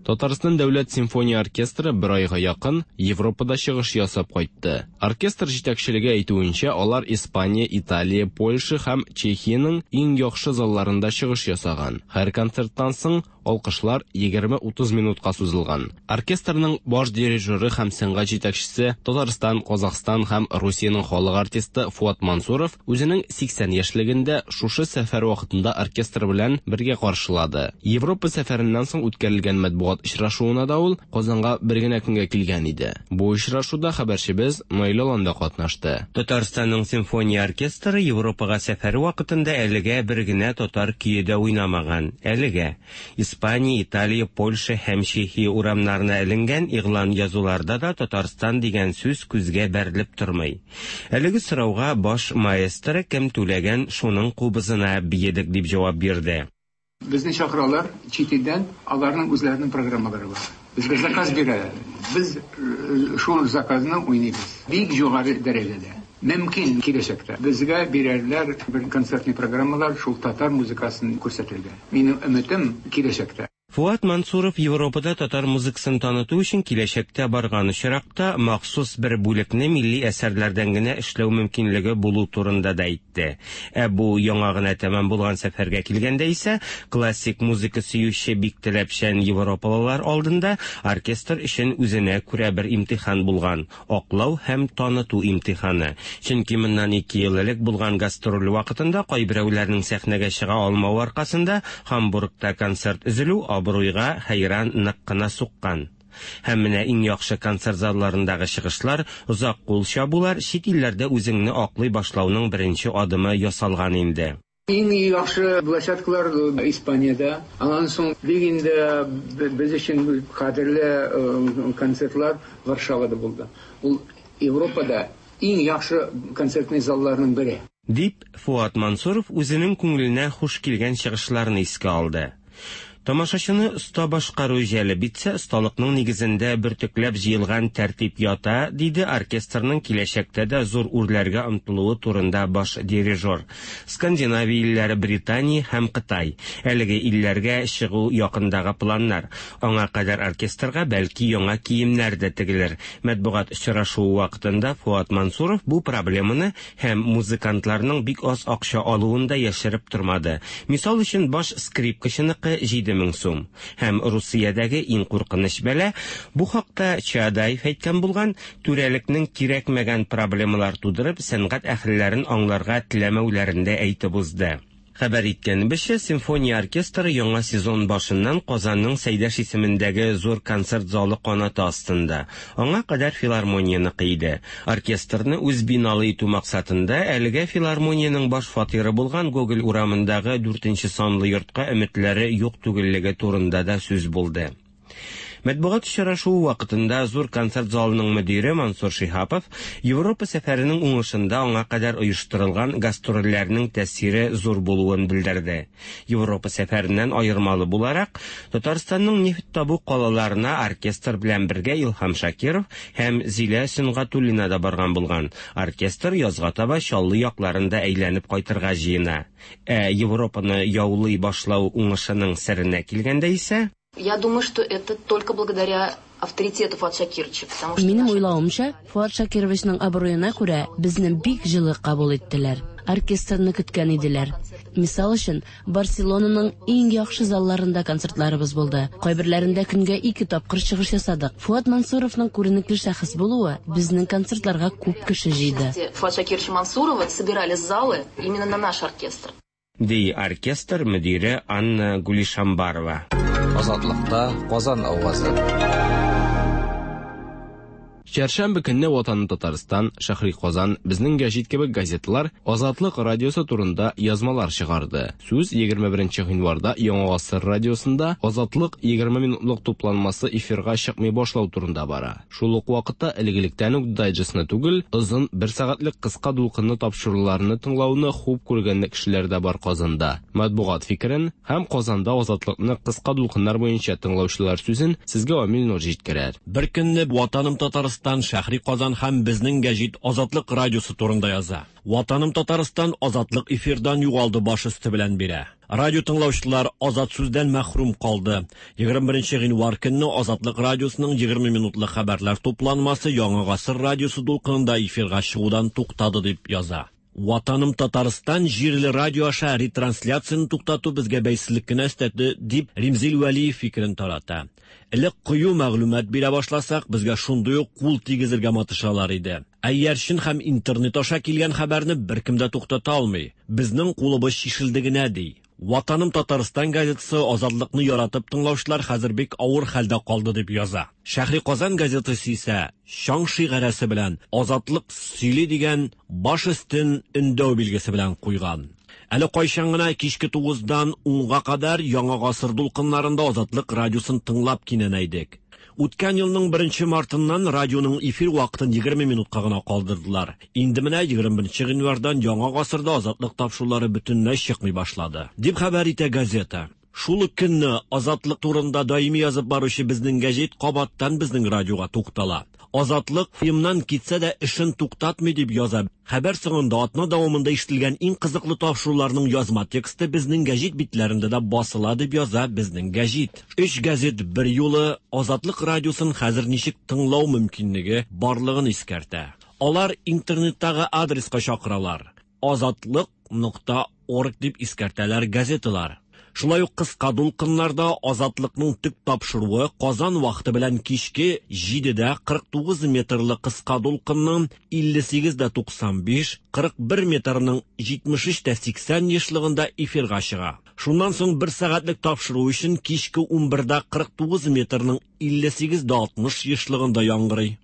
S11: Татарстан дәүләт симфония оркестры бер айга якын Европада чыгыш ясап кайтты. Оркестр җитәкчелеге әйтүенчә, алар Испания, Италия, Польша һәм Чехиянең иң яхшы залларында чыгыш ясаган. Һәр концерттан соң алкышлар егерме утыз минутка сузылган. Оркестрның баш дирижеры һәм сәнгать җитәкчесе Татарстан, Казахстан һәм Русиянең халык артисты Фуат Мансуров үзенең сиксән яшьлегендә шушы сәфәр вакытында оркестр белән бергә каршылады. Европа сәфәреннән соң үткәрелгән матбугат Матбугат очрашуына да ул Казанга бер генә көнгә килгән иде. Бу очрашуда хәбәрчебез Наил Алан да катнашты.
S1: Татарстанның симфония оркестры Европага сәфәре вакытында әлегә бер генә татар көе дә уйнамаган. Әлегә Испания, Италия, Польша һәм Чехия урамнарына эленгән игълан язуларда да Татарстан дигән сүз күзгә бәрелеп тормый. Әлеге сорауга баш маэстро кем түләгән шуның кубызына биедек дип җавап бирде.
S4: Безне чакыралар чит илдән, аларның үзләренең программалары бар. Безгә заказ бирәләр. Без шул заказны уйныйбыз. Бик югары дәрәҗәдә. Мөмкин киләчәктә безгә бирәрләр бер концертный программалар шул татар музыкасын күрсәтергә. Минем өметем киләчәктә.
S1: Фуат Мансуров Европада татар музыкасын таныту өчен киләчәктә барган очракта махсус бер бүлекне милли әсәрләрдән генә эшләү мөмкинлеге булу турында да әйтте. Ә бу яңа гына тәмам булган сәфәргә килгәндә исә классик музыка сөюче бик таләпчән европалылар алдында оркестр өчен үзенә күрә бер имтихан булган аклау һәм таныту имтиханы. Чөнки моннан ике ел элек булган гастроль вакытында кайберәүләрнең сәхнәгә чыга алмавы аркасында Һамбургта концерт өзелү абруйга хәйран нык кына суккан. Һәм менә иң яхшы концерт залларындагы чыгышлар, озак кул чабулар чит илләрдә үзеңне аклый башлауның беренче адымы ясалган инде.
S4: Иң яхшы площадкалар Испаниядә. Аннан соң бик инде без өчен кадерле концертлар Варшавада булды. Ул Европада иң яхшы концертный залларның бере.
S1: Дип Фуат Мансуров үзенең күңеленә хуш килгән чыгышларны искә алды. Тамашачыны оста башкару җәлеп итсә, осталыкның нигезендә бөртекләп җыелган тәртип ята, диде оркестрның киләчәктә дә зур үрләргә омтылуы турында баш дирижер. Скандинавия илләре, Британия һәм Кытай. Әлеге илләргә чыгу якындагы планнар. Аңа кадәр оркестрга бәлки яңа киемнәр дә тегелер. Матбугат очрашуы вакытында Фуат Мансуров бу проблеманы һәм музыкантларның бик аз акча алуын да яшереп тормады. Мисал өчен, баш скрипкачыныкы җиде мең сум. Һәм Русиядәге иң куркыныч бәла, бу хакта Чадаев әйткән булган, түрәлекнең кирәкмәгән проблемалар тудырып, сәнгать әһелләрен аңларга теләмәүләрен дә әйтеп узды. Хәбәр иткәнебезчә, симфония оркестры яңа сезон башыннан Казанның Сәйдәш исемендәге зур концерт залы канаты астында. Аңа кадәр филармонияныкы иде. Оркестрны үз биналы итү максатында әлегә филармониянең баш фатиры булган Гоголь урамындагы дүртенче санлы йортка өметләре юк түгеллеге турында да сүз булды. Матбугат очрашуы вакытында зур концерт залының мөдире Мансур Шиһапов Европа сәфәренең уңышында аңа кадәр оештырылган гастрольләрнең тәэсире зур булуын белдерде. Европа сәфәреннән аермалы буларак, Татарстанның нефть табу калаларына оркестр белән бергә Илһам Шакиров һәм Зилә Сөнгатуллина да барган булган. Оркестр язга таба Чаллы якларында әйләнеп кайтырга җыена. Ә Европаны яулый башлау уңышының серенә килгәндә исә,
S5: Я думаю, что это только благодаря авторитету Фуата Шакировича, потому что
S29: Минем уйлавымча, Фуат Шакировичның абруена күрә безне бик җылы кабул иттеләр. Оркестрны көткән иделәр. Мисал өчен, Барселонаның иң яхшы залларында концертларыбыз булды. Кайберләрендә көнгә ике тапкыр чыгыш ясадык. Фуат Мансуровның күренекле шәхес булуы безнең концертларга күп кеше җыйды.
S5: Фуата Шакировича Мансурова собирали залы именно на наш оркестр.
S1: Ди оркестр мөдире Анна Гулишамбарова.
S16: Азатлыкта Казан авазы.
S11: Чәршәмбе көнне Ватаны Татарстан, Шәһри Казан, Безнең гәҗит кебек газеталар Азатлык радиосы турында язмалар чыгарды. Сүз егерме беренче гыйнварда Яңа Гасыр радиосында Азатлык егерме минутлык тупланмасы эфирга чыкмый башлау турында бара. Шул ук вакытта элек-электән үк дайджестны түгел, озын бер сәгатьлек кыска дулкынлы тапшыруларны тыңлауны хуп күргән кешеләр дә бар Казанда. Матбугат фикерен һәм Казанда Азатлыкны кыска дулкыннар буенча тыңлаучылар сүзен сезгә Амил Нур җиткерер.
S6: Бер көнне Ватаным Татарстан, Шәһри Казан һәм Безнең гәҗит Азатлык радиосы турында яза. Ватаным Татарстан Азатлык эфирдан югалды баш өсте белән бирә. Радио тыңлаучылар азат сүздән мәхрүм калды. Егерме беренче гыйнвар көнне Азатлык радиосының егерме минутлык хәбәрләр тупланмасы Яңа Гасыр радиосы дулкынында эфирга чыгудан туктады дип яза. Ватаным Татарстан җирле радио аша ретрансляцияны туктату безгә бәйсезлек кенә өстәде дип Римзил Вәлиев фикерен тарата. Элек кыю мәгълүмат бирә башласак, безгә шундый ук кул тигезергә матышалар иде. Ә иярчен һәм интернет аша килгән хәбәрне беркем дә туктата алмый. Безнең кулыбыз чишелде генә ди. Ватаным Татарстан газетасы Азатлыкны яратып тыңлаучылар хәзер бик авыр хәлдә калды дип яза. Шәһри Казан газетасы исә чаң шигарәсе белән Азатлык сөйли дигән баш өстен өндәү билгесе белән куйган. Әле кайчан гына кичке тугыздан унга кадәр Яңа гасыр дулкыннарында Азатлык радиосын тыңлап кинәнә идек. Үткән елның беренче мартыннан радионың эфир вакытын егерме минутка гына калдырдылар. Инде менә егерме беренче гыйнвардан Яңа гасырда Азатлык тапшырулары бөтенләй чыкмый башлады, дип хәбәр итә газета. Шул ук көнне Азатлык турында даими язып баручы безнең гәҗит кабаттан безнең радиога туктала. Азатлык фильмнан китсә дә эшен туктатмый дип яза. Хәбәр соңында атна дәвамында ишетелгән иң кызыклы тапшыруларның язма тексты безнең гәҗит битләрендә дә басыла дип яза безнең гәҗит. Өч гәзит бер юлы Азатлык радиосын хәзер ничек тыңлау мөмкинлеге барлыгын искәртә. Алар интернеттагы адреска чакыралар. Азатлык нокта орг дип искәртәләр газеталар. Шулай ук кыска дулкыннарда Азатлыкның төп тапшыруы Казан вакыты белән кичке җидедә кырык тугыз метрлы кыска дулкынның илле сигез дә туксан биш, кырык бер метрның җитмеш өч тә сиксән ешлыгында эфирга чыга. Шуннан соң бер сәгатьлек тапшыру өчен кичке унбердә кырык тугыз метрның илле сигез дә алтмыш ешлыгында яңгырый.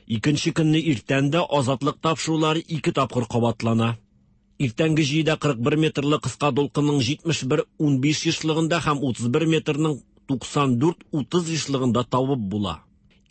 S6: Икенче көнне иртән дә Азатлык тапшырулары ике тапкыр кабатлана. Иртәнге җидедә кырык бер метрлы кыска дулкынның җитмеш бер унбиш ешлыгында һәм утыз бер метрның туксан дүрт утыз ешлыгында табып була.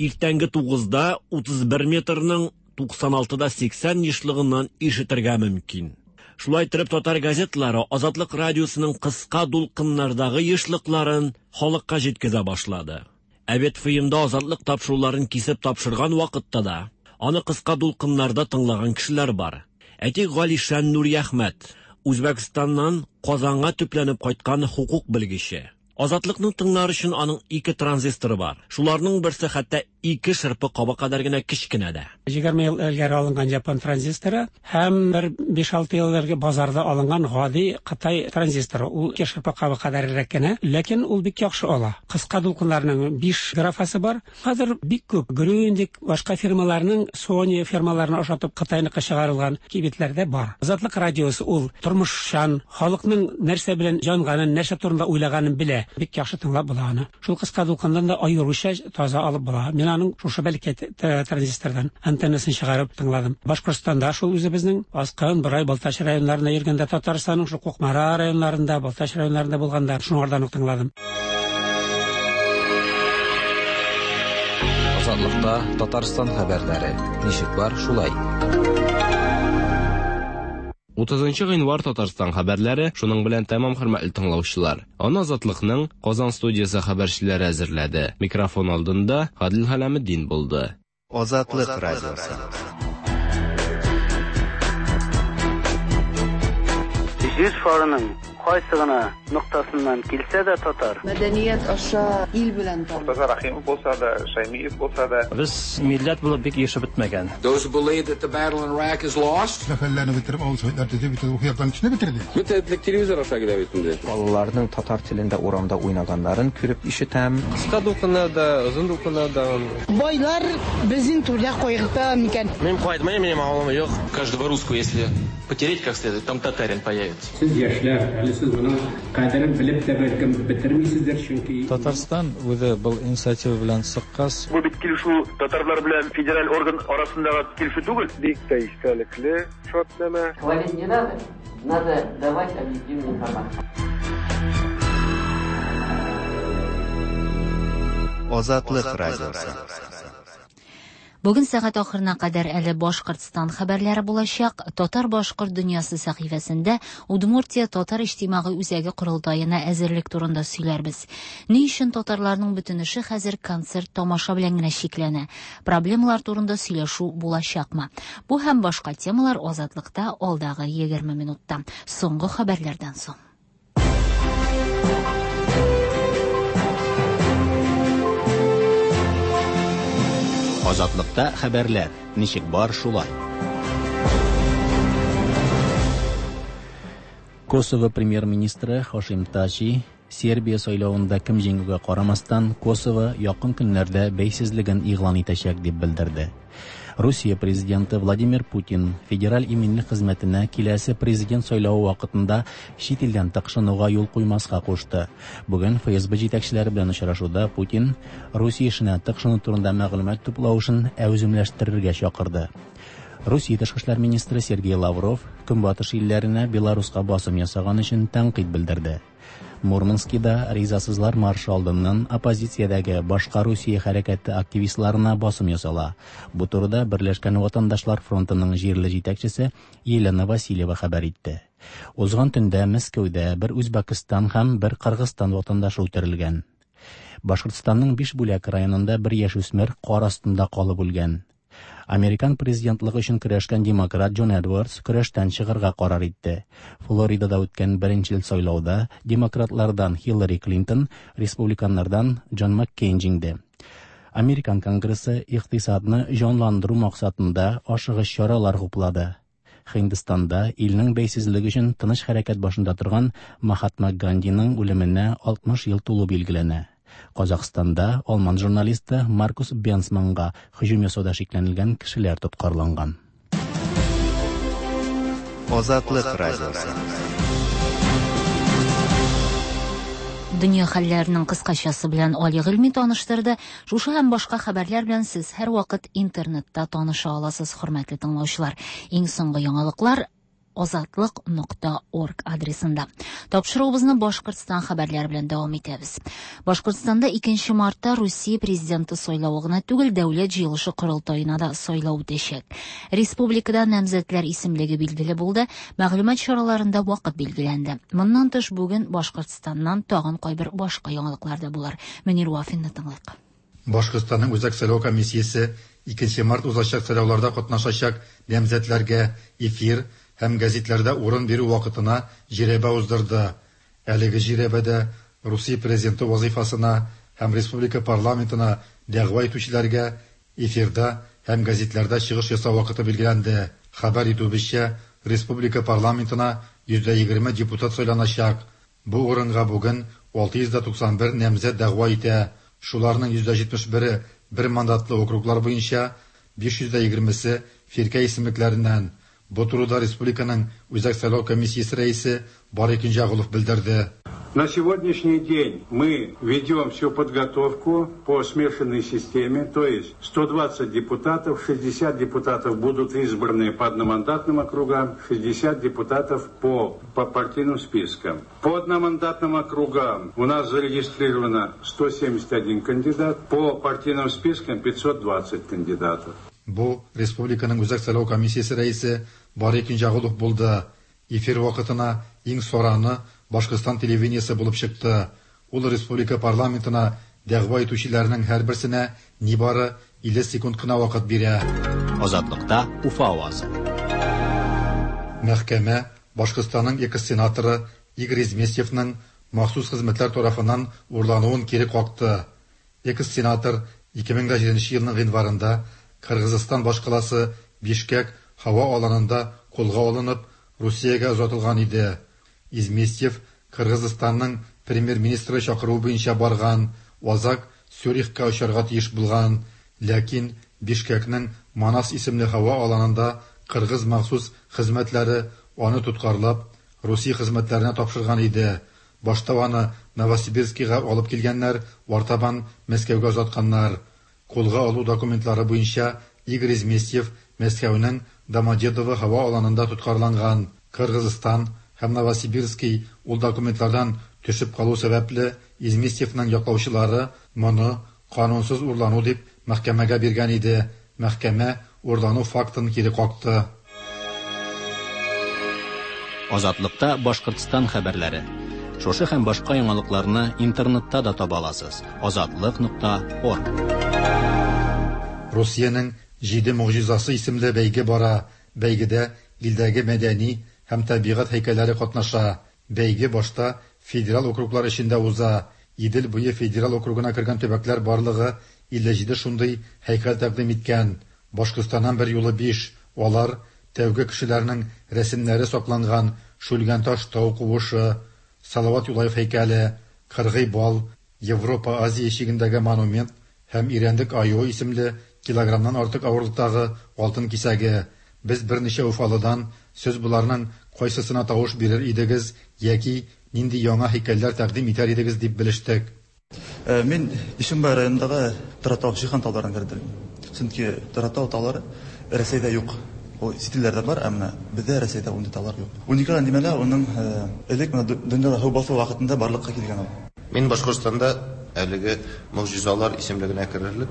S6: Иртәнге тугызда утыз бер метрның туксан алтыда сиксән ешлыгыннан ишетергә мөмкин. Шулай итеп татар газетлары Азатлык радиосының кыска дулкыннардагы ешлыкларын халыкка җиткезә башлады. Ә бит фильмда Азатлык тапшыруларын кисеп тапшырган вакытта да аны кыска дулкыннарда тыңлаган кешеләр бар. Әйтик, Галишан Нуриәхмәт, Үзбәкстаннан Казанга төпләнеп кайткан хукук белгече. Азатлыкны тыңлар өчен аның ике транзисторы бар. Шуларның берсе хәтта ике шырпы кабы кадәр генә кечкенә дә.
S7: Егерме ел элгәре алынган япон транзисторы һәм бер биш-алты ел элгәре базарда алынган гади Кытай транзисторы. Ул ике шырпы кабы кадәррәк кенә, ләкин ул бик яхшы ала. Кыска дулкыннарның биш графасы бар. Хәзер бик күп Грюндик, башка фирмаларның Sony фирмаларына ошатып Кытайныкы чыгарылган кибетләрдә бар. Азатлык радиосы ул тормышчан, халыкның нәрсә белән җанганын, нәрсә турында уйлаганын белә. Бик яхшы тыңлап була аны. Шул кыска дулкыннан да аеруча таза алып була. Мин аның шушы бәләкәй транзистордан антеннасын чыгарып тыңладым. Башкортстанда шул үзебезнең Аскын, Борай, Балтач районнарында йөргәндә, Татарстанның шул Кукмара районнарында, Балтач районнарында булганда шуңардан ук тыңладым.
S8: Азатлыкта Татарстан хәбәрләре. Ничек бар, шулай.
S11: Утызынчы гыйнвар Татарстан хәбәрләре шуның белән тәмам, хөрмәтле тыңлаучылар. Аны Азатлыкның Казан студиясе хәбәрчеләре әзерләде. Микрофон алдында Гадил Хәләметдин булды.
S9: Азатлык радиосы.
S10: Җир шарының кайсы гына ноктасыннан килсә дә татар.
S12: Мәдәният аша ил белән таныш.
S13: Мортаза Рахимов булса да, Шаймиев булса да.
S14: Без милләт булып бик яшәп бетмәгән.
S17: Those who believe that the battle in Iraq is lost.
S18: Сәфәрләрне бетереп, авыл советлар төзеп бетерде, ухуяктан кешене бетерде.
S30: Бөтен телевизор аша килә бит инде.
S31: Балаларның татар телендә урамда уйнаганнарын күреп ишетәм.
S30: Кыска дулкыннарда, озын дулкыннарда.
S32: Байлар безнең түрдә кайгырта микән?
S30: Мин кайтмыйм, минем авылым юк.
S33: Каждого русского, если потереть как следует, там татарин появится.
S34: Сез яшьләр, әле сез моның кадерен белеп тә бәлкем бетермисездер, чөнки
S35: Татарстан үзе был инициатива белән чыккач.
S36: Бу бит килешү татарлар белән федераль орган арасындагы килешү түгел.
S37: Бик тә истәлекле шартнамә.
S38: Хвалить не надо, надо давать объективную информацию.
S9: Азатлык радиосы.
S2: Бүген сәгать ахырына кадәр әле Башкортстан хәбәрләре булачак. Татар-башкорт дөньясы сәхифәсендә Удмуртия татар иҗтимагый үзәге корылтаена әзерлек турында сөйләрбез. Ни өчен татарларның бөтен эше хәзер концерт тамаша белән генә чикләнә? Проблемалар турында сөйләшү булачакмы? Бу һәм башка темалар Азатлыкта алдагы егерме минутта. Соңгы хәбәрләрдән соң.
S39: Азатлыкта хәбәрләр ничек бар шулай.
S40: Косово премьер-министры Хашим Тачи Сербия сайлавында кем җиңүгә карамастан Косово якын көннәрдә бәйсезлеген игълан итәчәк дип белдерде. Русия президенты Владимир Путин Федераль иминлек хезмәтенә киләсе президент сайлавы вакытында чит илдән тыкшынуга юл куймаска кушты. Бүген Эф Эс Бэ җитәкчеләре белән очрашуда Путин Русия эшенә тыкшыну турында мәгълүмат туплау эшен әүземләштерергә чакырды. Русия тышкы эшләр министры Сергей Лавров Көнбатыш илләренә Беларуска басым ясаган өчен тәнкыйть белдерде. Мурманскида ризасызлар маршы алдыннан оппозициядәге Башка Русия хәрәкәте активистларына басым ясала. Бу турыда Берләшкән ватандашлар фронтының җирле җитәкчесе Елена Васильева хәбәр итте. Узган төндә Мәскәүдә бер Үзбәкстан һәм бер Кыргызстан ватандашы үтерелгән. Башкортстанның Бишбүләк районында бер яшүсмер кар астында калып үлгән. Американ президентлыгы өчен көрәшкән демократ Джон Эдвардс көрәштән чыгарга карар итте. Флоридада үткән беренчел сайлауда демократлардан Хиллари Клинтон, республиканнардан Джон Маккейн җиңде. Американ Конгрессы икътисадны җанландыру максатында ашыгыч чаралар хуплады. Һиндстанда илнең бәйсезлеге өчен тыныч хәрәкәт башында торган Махатма Гандиның үлеменә алтмыш ел тулу билгеләнә. Казахстанда алман журналисты Маркус Бенсманга һөҗүм ясауда шикләнелгән кешеләр тоткарланган.
S9: Азатлык радиосы.
S2: Дөнья хәлләренең кыскачасы белән Али Гыйльми таныштырды. Шушы һәм башка хәбәрләр белән сез һәрвакыт интернетта таныша аласыз, хөрмәтле тыңлаучылар. Иң соңгы яңалыклар азатлык нокта орг адресында. Тапшыруыбызны Башкортстан хәбәрләре белән дәвам итәбез. Башкортстанда икенче мартта Русия президенты сайлавы гына түгел, дәүләт җыелышы корылтаена да сайлау үтәчәк. Республикада намзәтләр исемлеге билгеле булды, мәгълүмат чараларында вакыт билгеләнде. Моннан тыш бүген Башкортстаннан тагын кайбер башка яңалыклар да булыр. Мөнир Вафинны тыңлыйк.
S18: Башкортстанның Үзәк сайлау комиссиясе икенче март узачак сайлауларда катнашачак намзәтләргә эфир һәм гәзитләрдә урын бирү вакытына жирәбә уздырды. Әлеге жирәбәдә Русия президенты вазифасына һәм республика парламентына дәгъва итүчеләргә эфирда һәм гәзитләрдә чыгыш ясау вакыты билгеләнде. Хәбәр итүебезчә, республика парламентына йөз егерме депутат сайланачак. Бу урынга бүген алты йөз туксан бер намзәт дәгъва итә. Шуларның йөз җитмеш бере бер мандатлы округлар буенча, биш йөз егермесе фиркә исемлекләреннән. Бу турыда республиканың Үзәк сайлау комиссиясе рәисе Барый Кинҗәгулов белдерде.
S1: На сегодняшний день мы ведем всю подготовку по смешанной системе, то есть сто двадцать депутатов, шестьдесят депутатов будут избраны по одномандатным округам, шестьдесят депутатов по, по партийным спискам. По одномандатным округам у нас зарегистрировано сто семьдесят один кандидат, по партийным спискам пятьсот двадцать кандидатов.
S18: Бу республиканың Үзәк сайлау комиссиясе рәисе Барый Кинҗәгулов булды. Эфир вакытына иң сораны Башкортстан телевидениесе булып чыкты. Ул республика парламентына дәгъва итүчеләрнең һәрберсенә нибары илле секунд кына вакыт бирә.
S39: Азатлыкта Уфа авазы.
S18: Мәхкәмә Башкортстанның экс-сенаторы Игорь Изместьевның махсус хезмәтләр тарафыннан урлануын кире какты. Экс-сенатор ике мең җиденче елның гыйнварында Кыргызстан башкаласы Бишкек һава аланында кулга алынып, Русиягә озатылган иде. Изместьев Кыргызстанның премьер-министры чакыруы буенча барган, азак Цюрихка очарга тиеш булган, ләкин Бишкекнең Манас исемле һава аланында кыргыз махсус хезмәтләре аны тоткарлап, Русия хезмәтләренә тапшырган иде. Башта аны Новосибирскига алып килгәннәр, артабан Мәскәүгә озатканнар. Кулга алу документлары буенча Игорь Изместьев Мәскәүнең Домодедово һава аланында тоткарланган. Кыргызстан һәм Новосибирский ул документлардан төшеп калу сәбәпле Изместьевның яклаучылары моны канунсыз урлану дип мәхкәмәгә биргән иде. Мәхкәмә урлану фактын кире какты.
S39: Азатлыкта Башкортстан хәбәрләре. Шушы һәм башка яңалыкларны интернетта да таба аласыз. Азатлык нокта орг.
S18: Русиянең Җиде могҗизасы исемле бәйге бара. Бәйгедә илдәге мәдәни һәм табигать һәйкәлләре катнаша. Бәйге башта федераль округлар эчендә уза. Идел буе федераль округына кергән төбәкләр барлыгы илле җиде шундый һәйкәл тәкъдим иткән. Башкортстаннан бер юлы биш. Алар тәүге кешеләрнең рәсемнәре сакланган Шүлгәнташ тау куышы, Салават Юлаев һәйкәле, Кыргый бал, Европа Азия чигендәге монумент һәм Ирәндек аюы исемле Килограммнан артык авырлыктагы алтын кисәге. Без берничә уфалыдан сез боларның кайсысына тавыш бирер идегез яки нинди яңа һәйкәлләр тәкъдим итәр идегез дип белештек.
S3: Мин Ишембай районындагы Торатау Шихан тауларын кердем. Чөнки Торатау таулары Рәсәйдә юк. Ул чит илләрдә бар, ә менә бездә Рәсәйдә ундый таулар юк. Уникаль димәләр уның элек менә дөньяда һу басу вакытында барлыкка килгән ул.
S4: Мин Башкортстанда әлеге могҗизалар исемлегенә керерлек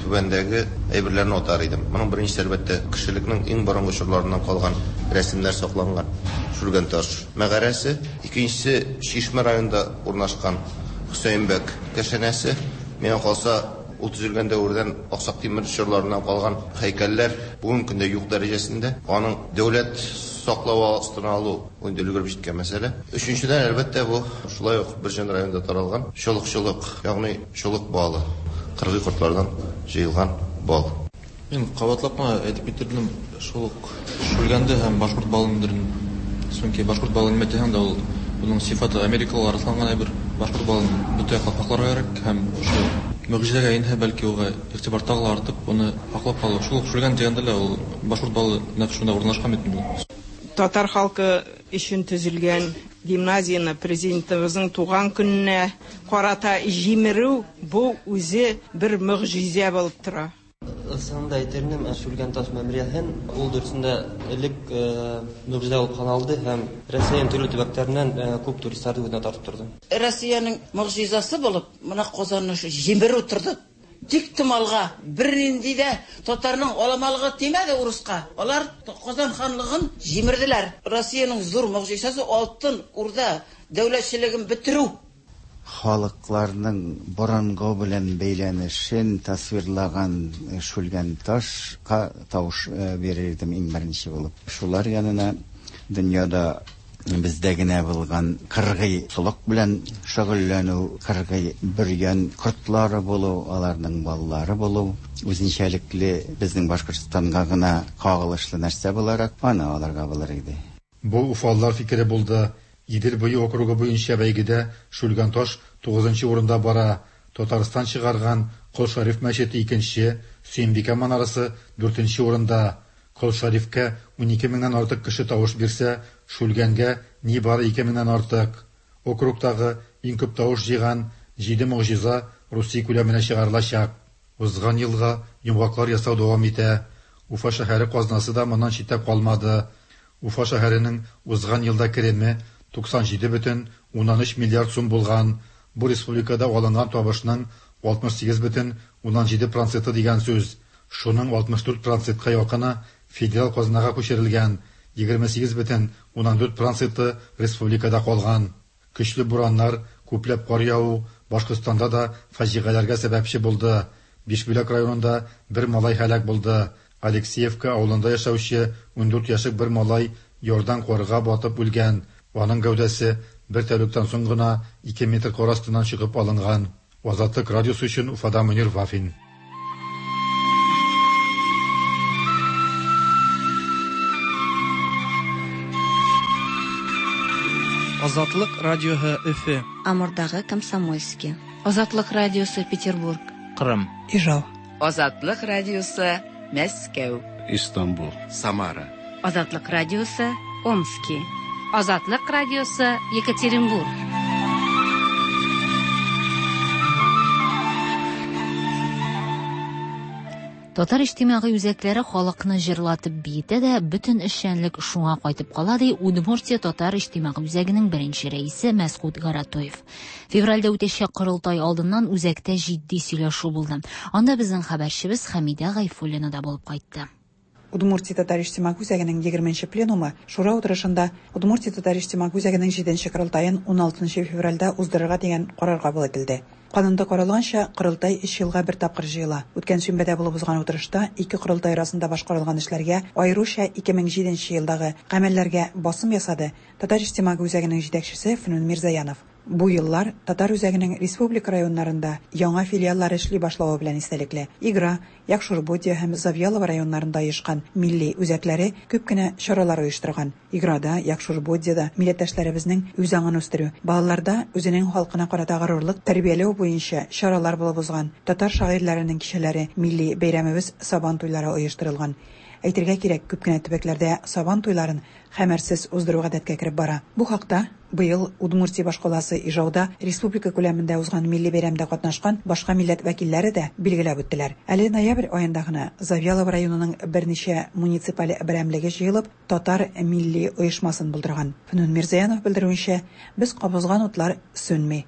S4: түбәндәге әйберләрне атар идем. Моның беренчесе, әлбәттә, кешелекнең иң борынгы чорларыннан калган рәсемнәр сакланган Шүлгәнташ мәгарәсе, икенчесе Чишмә районында урнашкан Хөсәенбәк кәшәнәсе. Миңа калса, ул төзелгән дәвердән Аксак Тимер чорларыннан калган һәйкәлләр бүгенге көндә юк дәрәҗәсендә. Аның дәүләт саклавы астына алу инде өлгереп җиткән мәсьәлә. Өченчедән, әлбәттә, бу шулай ук Бөрҗән районында таралган чолык-чолык, ягъни чолык балы, кыргый кортлардан җыелган бал.
S3: Мин кабатлап кына әйтеп китердем, шул ук Шүлгәнде һәм башкорт балындырын. Чөнки башкорт балы нимә дигән дә ул буның сифаты америкалылар расланган әйбер. Башкорт балын бөтен яклап сакларга кирәк һәм шул могҗизәгә инде бәлки уга игътибар тагы ла артып, уны саклап калу. Шул ук Шүлгән дигәндә лә ул башкорт балы нәкъ шунда урнашкан бит инде.
S5: Татар халкы өчен төзелгән гимназияне президентыбызның туган көненә карата җимерү бу үзе бер могҗизә булып тора.
S6: Ысында әйтернем, Шүлгәнташ мемориалын ул дөресендә элек могҗизә булып саналды һәм Россиянең төрле төбәкләреннән күп туристларны үзенә тартып торды.
S7: Россиянең могҗизасы булып, менә Казанны җимерү торды. Тик томалга бернинди дә татарның аламалыгы тимәде урыска. Алар Казан ханлыгын җимерделәр. Россиянең зур могҗизасы Алтын Урда дәүләтчелеген бетерү.
S8: Халыкларның борынгы белән бәйләнешен тасвирлаган Шүлгәнташка тавыш бирер идем иң беренче булып. Шулар янына дөньяда бездә генә булган кыргый сулык белән шөгыльләнү, кыргый бөргән кортлары булу, аларның баллары булу үзенчәлекле безнең Башкортстанга гына кагылышлы нәрсә буларак аны аларга булыр иде.
S18: Бу уфалылар фикере булды. Идел буе округы буенча бәйгедә Шүлгәнташ тугызынчы урында бара. Татарстан чыгарган Кол Шариф мәчете икенче, Сөембикә манарасы дүртенче урында. Кол Шарифкә унике меңнән артык кеше тавыш бирсә, Шүлгәнгә нибары ике меңнән артык. Округтагы иң күп тавыш җыйган җиде могҗиза Русия күләменә чыгарылачак. Узган елга йомгаклар ясау дәвам итә. Уфа шәһәре казнасы да моннан читтә калмады. Уфа шәһәренең узган елда кереме туксан җиде бөтен уннан өч миллиард сум булган. Бу республикада алынган табышның алтмыш сигез бөтен уннан җиде проценты дигән сүз. Шуның алтмыш дүрт процентка якыны федераль казнага күчерелгән, егерме сигез бөтен уннан дүрт проценты республикада калган. Көчле бураннар, күпләп кар яву Башкортстанда да фаҗигаләргә сәбәпче булды. Бишбүләк районында бер малай һәлак булды. Алексеевка авылында яшәүче ундүрт яшьлек бер малай ярдан карга батып үлгән. Аның гәүдәсе бер тәүлектән соң гына ике метр кар астыннан чыгып алынган. Азатлык радиосы өчен Уфада Мөнир Вафин.
S11: Азатлык радиосы Өфе.
S15: Амурдагы Комсомольский. Азатлык радиосы Петербург.
S11: Кырым. Ижау.
S16: Азатлык радиосы Мәскәү.
S19: Истанбул. Самара.
S20: Азатлык радиосы Омски. Азатлык радиосы Екатеринбург.
S2: Татар иҗтимагый үзәкләре халыкны җырлатып биетә дә, бөтен эшчәнлек шуңа кайтып кала, ди Удмуртия Татар иҗтимагый үзәгенең беренче рәисе Мәсгут Гаратоев. Февральдә үтәчәк корылтай алдыннан үзәктә җитди сөйләшү булды. Анда безнең хәбәрчебез Хәмидә Гайфуллина да булып кайтты.
S21: Удмуртия Татар иҗтимагый үзәгенең егерменче пленумы Шура утырышында Удмуртия Татар иҗтимагый үзәгенең җиденче корылтаен уналтынчы февральдә уздырырга дигән карар кабул ителде. Канунда каралганча, корылтай өч елга бер тапкыр җыела. Үткән шимбәдә булып узган утырышта ике корылтай арасында башкарылган эшләргә, аеруча ике мең җиденче елдагы гамәлләргә басым ясады Татар иҗтимагый үзәгенең җитәкчесе Фнүн Мирзаянов. Бу еллар татар үзәгенең республика районнарында яңа филиаллар эшли башлавы белән истәлекле. Игра, Якшур-Бодья һәм Завьялово районнарында оешкан милли үзәкләре күп кенә чаралар оештырган. Играда, Якшур-Бодьяда милләттәшләребезнең үз аңын үстерү, балаларда үзенең халкына карата горурлык тәрбияләү буенча чаралар булып узган. Татар шагыйрьләренең кичәләре, милли бәйрәмебез Сабан туйлары оештырылган. Әйтергә кирәк, күп кенә төбәкләрдә Сабан туйларын хәмерсез уздыру гадәткә кереп бара. Бу хакта быел Удмуртия башкаласы Ижауда республика күләмендә узган милли бәйрәмдә катнашкан башка милләт вәкилләре дә билгеләп үттеләр. Әле ноябрь аенда гына Завьялово районының берничә муниципаль берәмлеге җыелып, татар милли оешмасын булдырган. Фнүн Мирзаянов белдерүенчә, без кабызган утлар сүнми.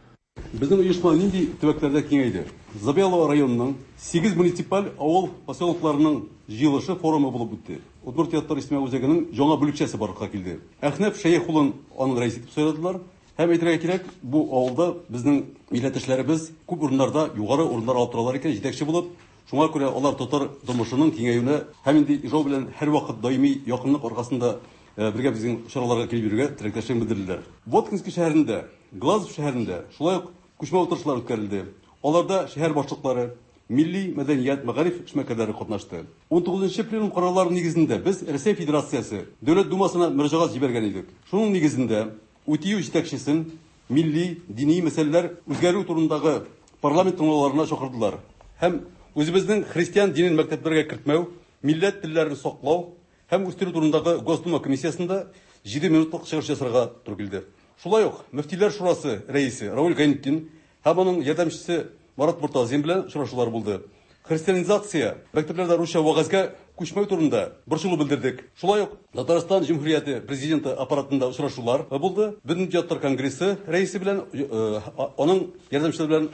S10: Безнең оешма нинди төбәкләрдә киңәйде? Завьялово районының сигез муниципаль авыл поселокларының җыелышы форумы булып үтте. Удмуртия татар иҗтимагый үзәгенең яңа бүлекчәсе барлыкка килде. Әхнәф Шәехулын аның рәисе итеп сайладылар. Һәм әйтергә кирәк, бу авылда безнең милләттәшләребез күп урыннарда югары урыннар алып торалар икән, җитәкче булып. Шуңа күрә алар татар тормышының киңәюенә һәм инде Ижау белән һәрвакыт даими якынлык аркасында бергә безнең чараларга килеп йөрергә теләктәшлеген белдерделәр. Воткинск шәһәрендә, Глазов шәһәрендә шулай ук күчмә утырышлар үткәрелде. Аларда шәһәр башлыклары, милли мәдәният, мәгариф эшмәкәрләре катнашты. ун тугызынчы пленум карарлары нигезендә без Рәсәй Федерациясе Дәүләт Думасына мөрәҗәгать җибәргән идек. Шуның нигезендә УТИҮ җитәкчесен милли, дини мәсьәләләр үзгәрү турындагы парламент тыңлауларына чакырдылар. Һәм үзебезнең христиан динен мәктәпләргә кертмәү, милләт телләрен саклау һәм үстерү турындагы Госдума комиссиясендә җиде минутлык чыгыш ясарга туры килде. Шулай ук Мөфтиләр шурасы рәисе Равил Гайнетдин һәм аның ярдәмчесе Марат Муртазин белән очрашулар булды. Христианизация, мәктәпләрдә русча вәгазьгә күчмәү турында борчылу белдердек. Шулай ук Татарстан Җөмһүрияте президенты аппаратында очрашулар булды. Бөтендөнья татар конгрессы рәисе белән аның ярдәмчеләре белән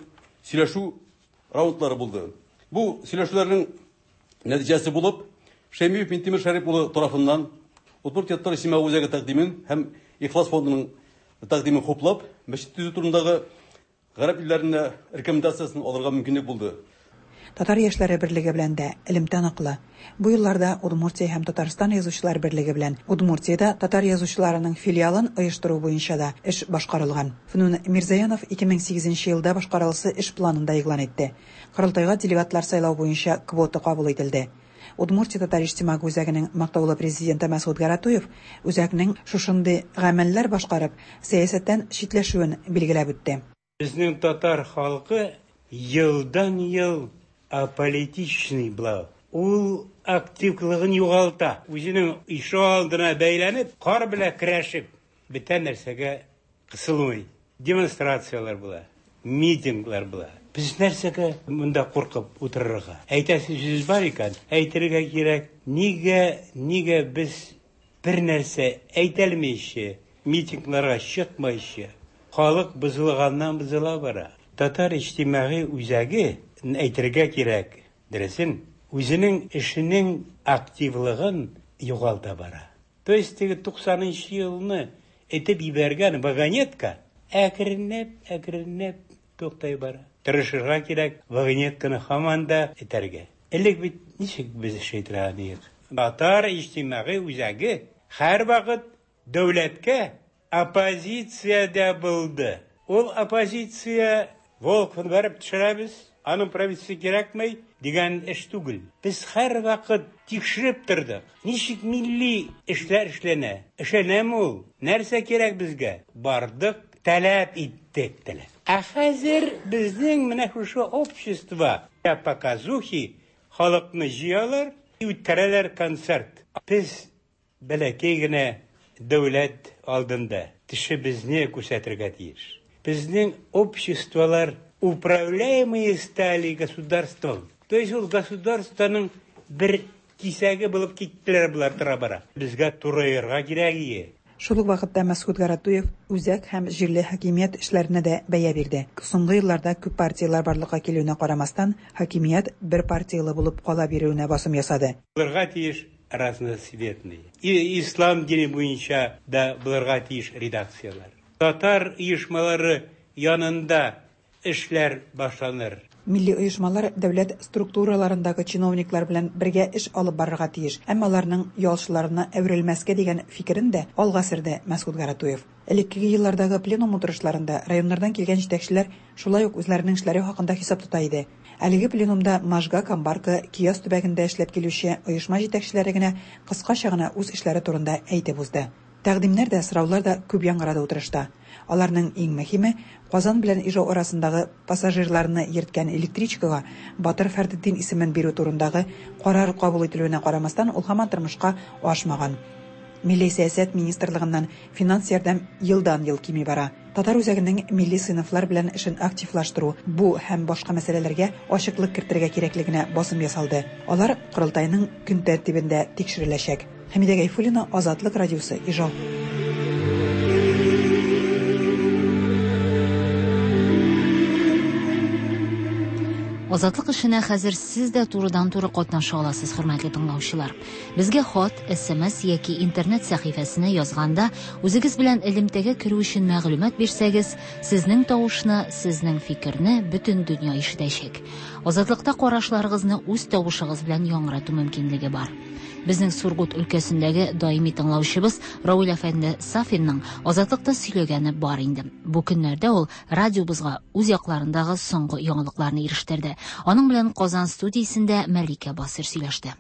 S10: сөйләшү раундлары булды. Бу сөйләшүләрнең нәтиҗәсе булып Шәймиев Минтимер Шәрип улы тарафыннан Удмуртия татар иҗтимагый үзәге тәкъдимен һәм Ихлас фондының тәкъдимен хуплап, мәчет төзү турындагы гарәп илләренә рекомендациясын алырга мөмкинлек булды.
S21: Татар яшьләре берлеге белән дә элемтә ныклы. Бу елларда Удмуртия һәм Татарстан язучылар берлеге белән Удмуртиядә татар язучыларының филиалын оештыру буенча да эш башкарылган. Фнүн Мирзаянов ике мең сигезенче елда башкарыласы эш планында игълан итте. Корылтайга делегатлар сайлау буенча квота кабул ителде. Удмуртия татар иҗтимагый үзәгенең мактаулы президенты Мәсгут Гаратуев үзәкнең шушындый гамәлләр башкарып, сәясәттән читләшүен билгеләп үтте.
S12: Безнең татар халкы елдан-ел аполитичный була. Ул активлыгын югалта. Үзенең ишегалдына бәйләнеп, кар белән көрәшеп, бөтен нәрсәгә кысылмый. Демонстрацияләр була, митинглар була. Без нәрсәгә монда куркып утырырга? Әйтәсе сүз бар икән, әйтергә кирәк. Нигә, нигә без бер нәрсә әйтәлмичә, митингларга чыкмыйча, халык бозылганнан бозыла бара. Татар иҗтимагый үзәге әйтергә кирәк, дөресен, үзенең эшенең активлыгын югалта бара. То есть теге туксанынчы елны әйтеп җибәргән вагонетка әкренләп, әкренләп туктай бара. Тырышырга кирәк, вагонетканы һаман да этәргә. Элек бит ничек без эш итә идек? Татар иҗтимагый үзәге һәрвакыт дәүләткә оппозициядә булды. Ул оппозиция Волковны барып төшерәбез, аның правительствосы кирәкми дигән эш түгел. Без һәрвакыт тикшереп тордык. Ничек милли эшләр эшләнә? Эшләнәме ул? Нәрсә кирәк безгә? Бардык, таләп иттек, таләп. Ә хәзер безнең менә шушы общество показухи халыкны җыялар, үткәрәләр концерт. Без бәләкәй генә дәүләт алдында тешебезне күрсәтергә тиеш. Безнең обществолар управляемые стали государством. То есть ул государствоның бер кисәге булып киттеләр булар тора-бара. Безгә турайырга кирәк ие.
S21: Шул ук вакытта Мәсгут Гаратуев үзәк һәм җирле хакимият эшләренә дә бәя бирде. Соңгы елларда күп партияләр барлыкка килүенә карамастан, хакимият бер партиялы булып кала бирүенә басым ясады.
S12: Булырга тиеш разноцветный. И ислам дине буенча да булырга тиеш редакцияләр. Татар оешмалары янында эшләр башланыр.
S21: Милли оешмалар дәүләт структураларындагы чиновниклар белән бергә эш алып барырга тиеш, әмма аларның ялчыларына әверелмәскә дигән фикерен дә алга сөрде Мәсгут Гаратуев. Элеккеге еллардагы пленум утырышларында районнардан килгән җитәкчеләр шулай ук үзләренең эшләре хакында хисап тота иде. Әлеге пленумда Можга, Камбарка, Кияс төбәгендә эшләп килүче оешма җитәкчеләре генә кыскача гына үз эшләре турында әйтеп узды. Тәкъдимнәр дә, сораулар да күп яңгырады утырышта. Аларның иң мөһиме Казан белән Ижау арасындагы пассажирларны йөрткән электричкага Батыр Фәрдетдин исемен бирү турындагы карар кабул ителүенә карамастан, ул һаман тормышка ашмаган. Милли сәясәт министрлыгыннан финанс ярдәм елдан-ел кими бара. Татар үзәгенең милли сыйныфлар белән эшен активлаштыру, бу һәм башка мәсьәләләргә ачыклык кертергә кирәклегенә басым ясалды. Алар корылтайның көн тәртибендә тикшереләчәк. Хәмидә Гайфуллина, Азатлык радиосы, Ижау.
S2: Азатлык эшенә хәзер сез дә турыдан-туры катнаша аласыз, хөрмәтле тыңлаучылар. Безгә хат, эс эм эс яки интернет сәхифәсенә язганда үзегез белән элемтәгә керү өчен мәгълүмат бирсәгез, сезнең тавышны, сезнең фикерне бөтен дөнья ишетәчәк. Азатлыкта карашларыгызны үз тавышыгыз белән яңгырату мөмкинлеге бар. Безнең Сургут өлкәсендәге даими тыңлаучыбыз Равил әфәнде Сафинның Азатлыкта сөйләгәне бар инде. Бу көннәрдә ул радиобызга үз якларындагы соңгы яңалыкларны ирештерде. Аның белән Казан студиясендә Мәликә Басыр сөйләште.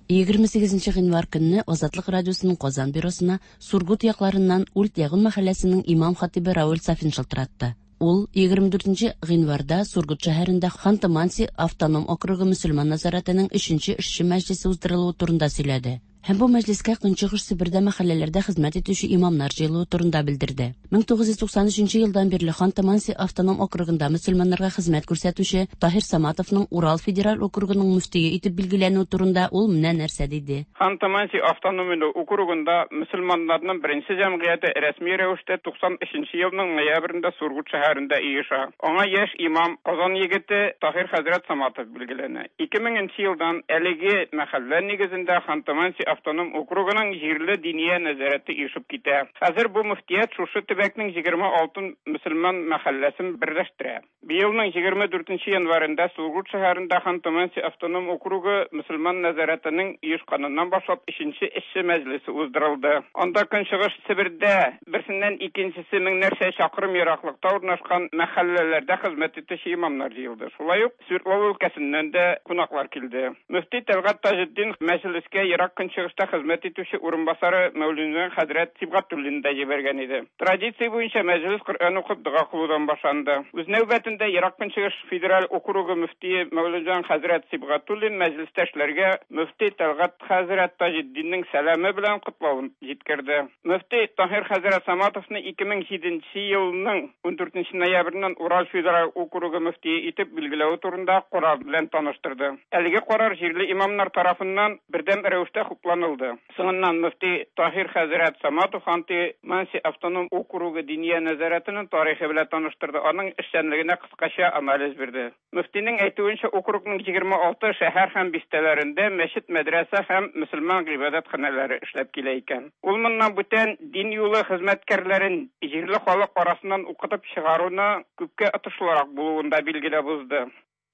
S13: егерме сигезенче гыйнвар көнне Азатлык радиосының Казан бюросына Сургут якларыннан Ульт Ягун мәхәлләсенең имам хатибы Равил Сафин шылтыратты. Ул егерме дүртенче гыйнварда Сургут шәһәрендә Ханты-Манси автоном округы мөселман назаратының өченче эшче мәҗлесе уздырылуы турында сөйләде. Һәм бу мәҗлескә Көнчыгыш Себердә мәхәлләләрдә хезмәт итүче имамнар җыелуы турында белдерде. мең тугыз йөз туксан өченче елдан бирле Ханты-Манси автоном округында мөселманнарга хезмәт күрсәтүче Таһир Саматовның Урал федераль округының мөфтие итеп билгеләнүе турында ул менә нәрсә диде.
S14: Ханты-Манси автоном округында мөселманнарның беренче җәмгыяте рәсми рәвештә туксан өченче елның ноябрендә Сургут шәһәрендә оеша. Аңа яшь имам Казан егете Таһир хәзрәт Саматов билгеләнә. ике меңенче елдан әлеге мәхәллә нигезендә Ханты-Манси автоном округының җирле диния нәзарәте оешып китә. Хәзер бу мөфтият шушы төбәкнең егерме алты мөселман мәхәлләсен берләштерә. Быелның егерме дүртенче январендә Сургут шәһәрендә Ханты-Манси автоном округы мөселман нәзарәтенең оешканыннан башлап өченче эшче мәҗлесе уздырылды. Анда Көнчыгыш Себердә берсеннән икенчесе меңнәрчә чакрым ераклыкта урнашкан мәхәлләләрдә хезмәт итүче имамнар җыелды. Шулай ук Свердлов өлкәсеннән дә кунаклар килде. Мөфти Тәлгать Таҗетдин мәҗлескә ерак Көнчыгышта хезмәт итүче урынбасары Мәүлүдән хәзрәт Сибгатуллин да җибәргән иде. Традиция буенча мәҗлес Коръән укып дога кылудан башланды. Үз нәүбәтендә Ерак Көнчыгыш федераль округы мөфтие Мәүлүдән хәзрәт Сибгатуллин мәҗлестәшләргә мөфти Тәлгать хәзрәт Таҗетдиннең сәламе белән котлавын җиткерде. Мөфти Таһир хәзрәт Саматовны ике мең җиденче елның ундүртенче ноябреннән Урал федераль округы мөфтие итеп билгеләү турында карар белән таныштырды. Әлеге карар җирле имамнар тарафыннан бердәм рәвештә хупланылды. Соңыннан мөфти Таһир хәзрәт Саматов Ханты-Манси автоном округы диния нәзарәтенең тарихы белән таныштырды, аның эшчәнлегенә кыскача анализ бирде. Мөфтинең әйтүенчә, округның егерме алты шәһәр һәм бистәләрендә мәчет, мәдрәсә һәм мөселман гыйбадәтханәләре эшләп килә икән. Ул моннан бүтән дин юлы хезмәткәрләрен җирле халык арасыннан укытып чыгаруны күпкә отышлырак булуын да билгеләп узды.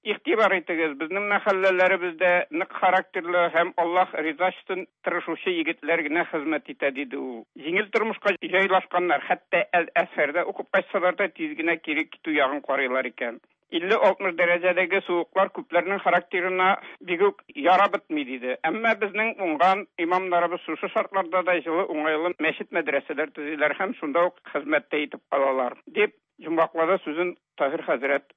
S14: Игътибар итегез, безнең мәхәлләләребездә нык характерлы һәм Аллаһ ризасы өчен тырышучы егетләр генә хезмәт итә, диде ул. Җиңел тормышка җайлашканнар, хәтта Әл-Әзһәрдә укып кайтсалар да тиз генә кире китү ягын карыйлар икән. илле алтмыш дәрәҗәдәге суыклар күпләрнең характерына бик үк ярап бетми, диде. Әмма безнең уңган имамнарыбыз шушы шартларда да җылы, уңайлы мәчет, мәдрәсәләр төзиләр һәм шунда ук хезмәттә итеп калалар, дип йомгаклады сүзен Таһир хәзрәт.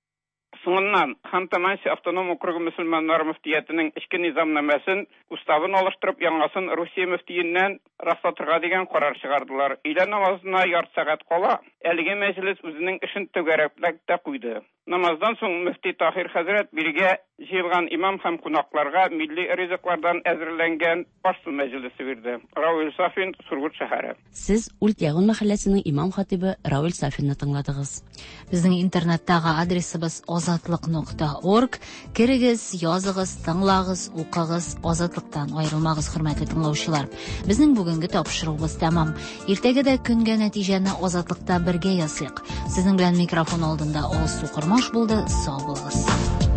S14: Соңыннан Ханты-Манси автоном округы мөселманнары мөфтиятенең эчке низамнамәсен, уставын алыштырып, яңасын Русия мөфтиеннән раслатырга дигән карар чыгардылар. Өйлә намазына ярты сәгать кала, әлеге мәҗлес үзенең эшен түгәрәкләп тә куйды. Намаздан соң мөфти Таһир хәзрәт биргә җыелган имам һәм кунакларга милли ризыклардан әзерләнгән аш-су мәҗлесе бирде. Равил Сафин, Сургут шәһәре.
S13: Сез Ульт Ягун мәхәлләсенең имам хатибы Равил Сафинны тыңладыгыз.
S2: Безнең интернеттагы адресыбыз азатлык нокта орг. Керегез, языгыз, тыңлагыз, укыгыз, Азатлыктан аерылмагыз, хөрмәтле тыңлаучылар. Безнең бүгенге тапшыруыбыз тәмам. Иртәгә дә көнгә нәтиҗәне Азатлыкта бергә ясыйк. Сезнең белән микрофон алдында Алсу Кормаш булды. Сау булыгыз.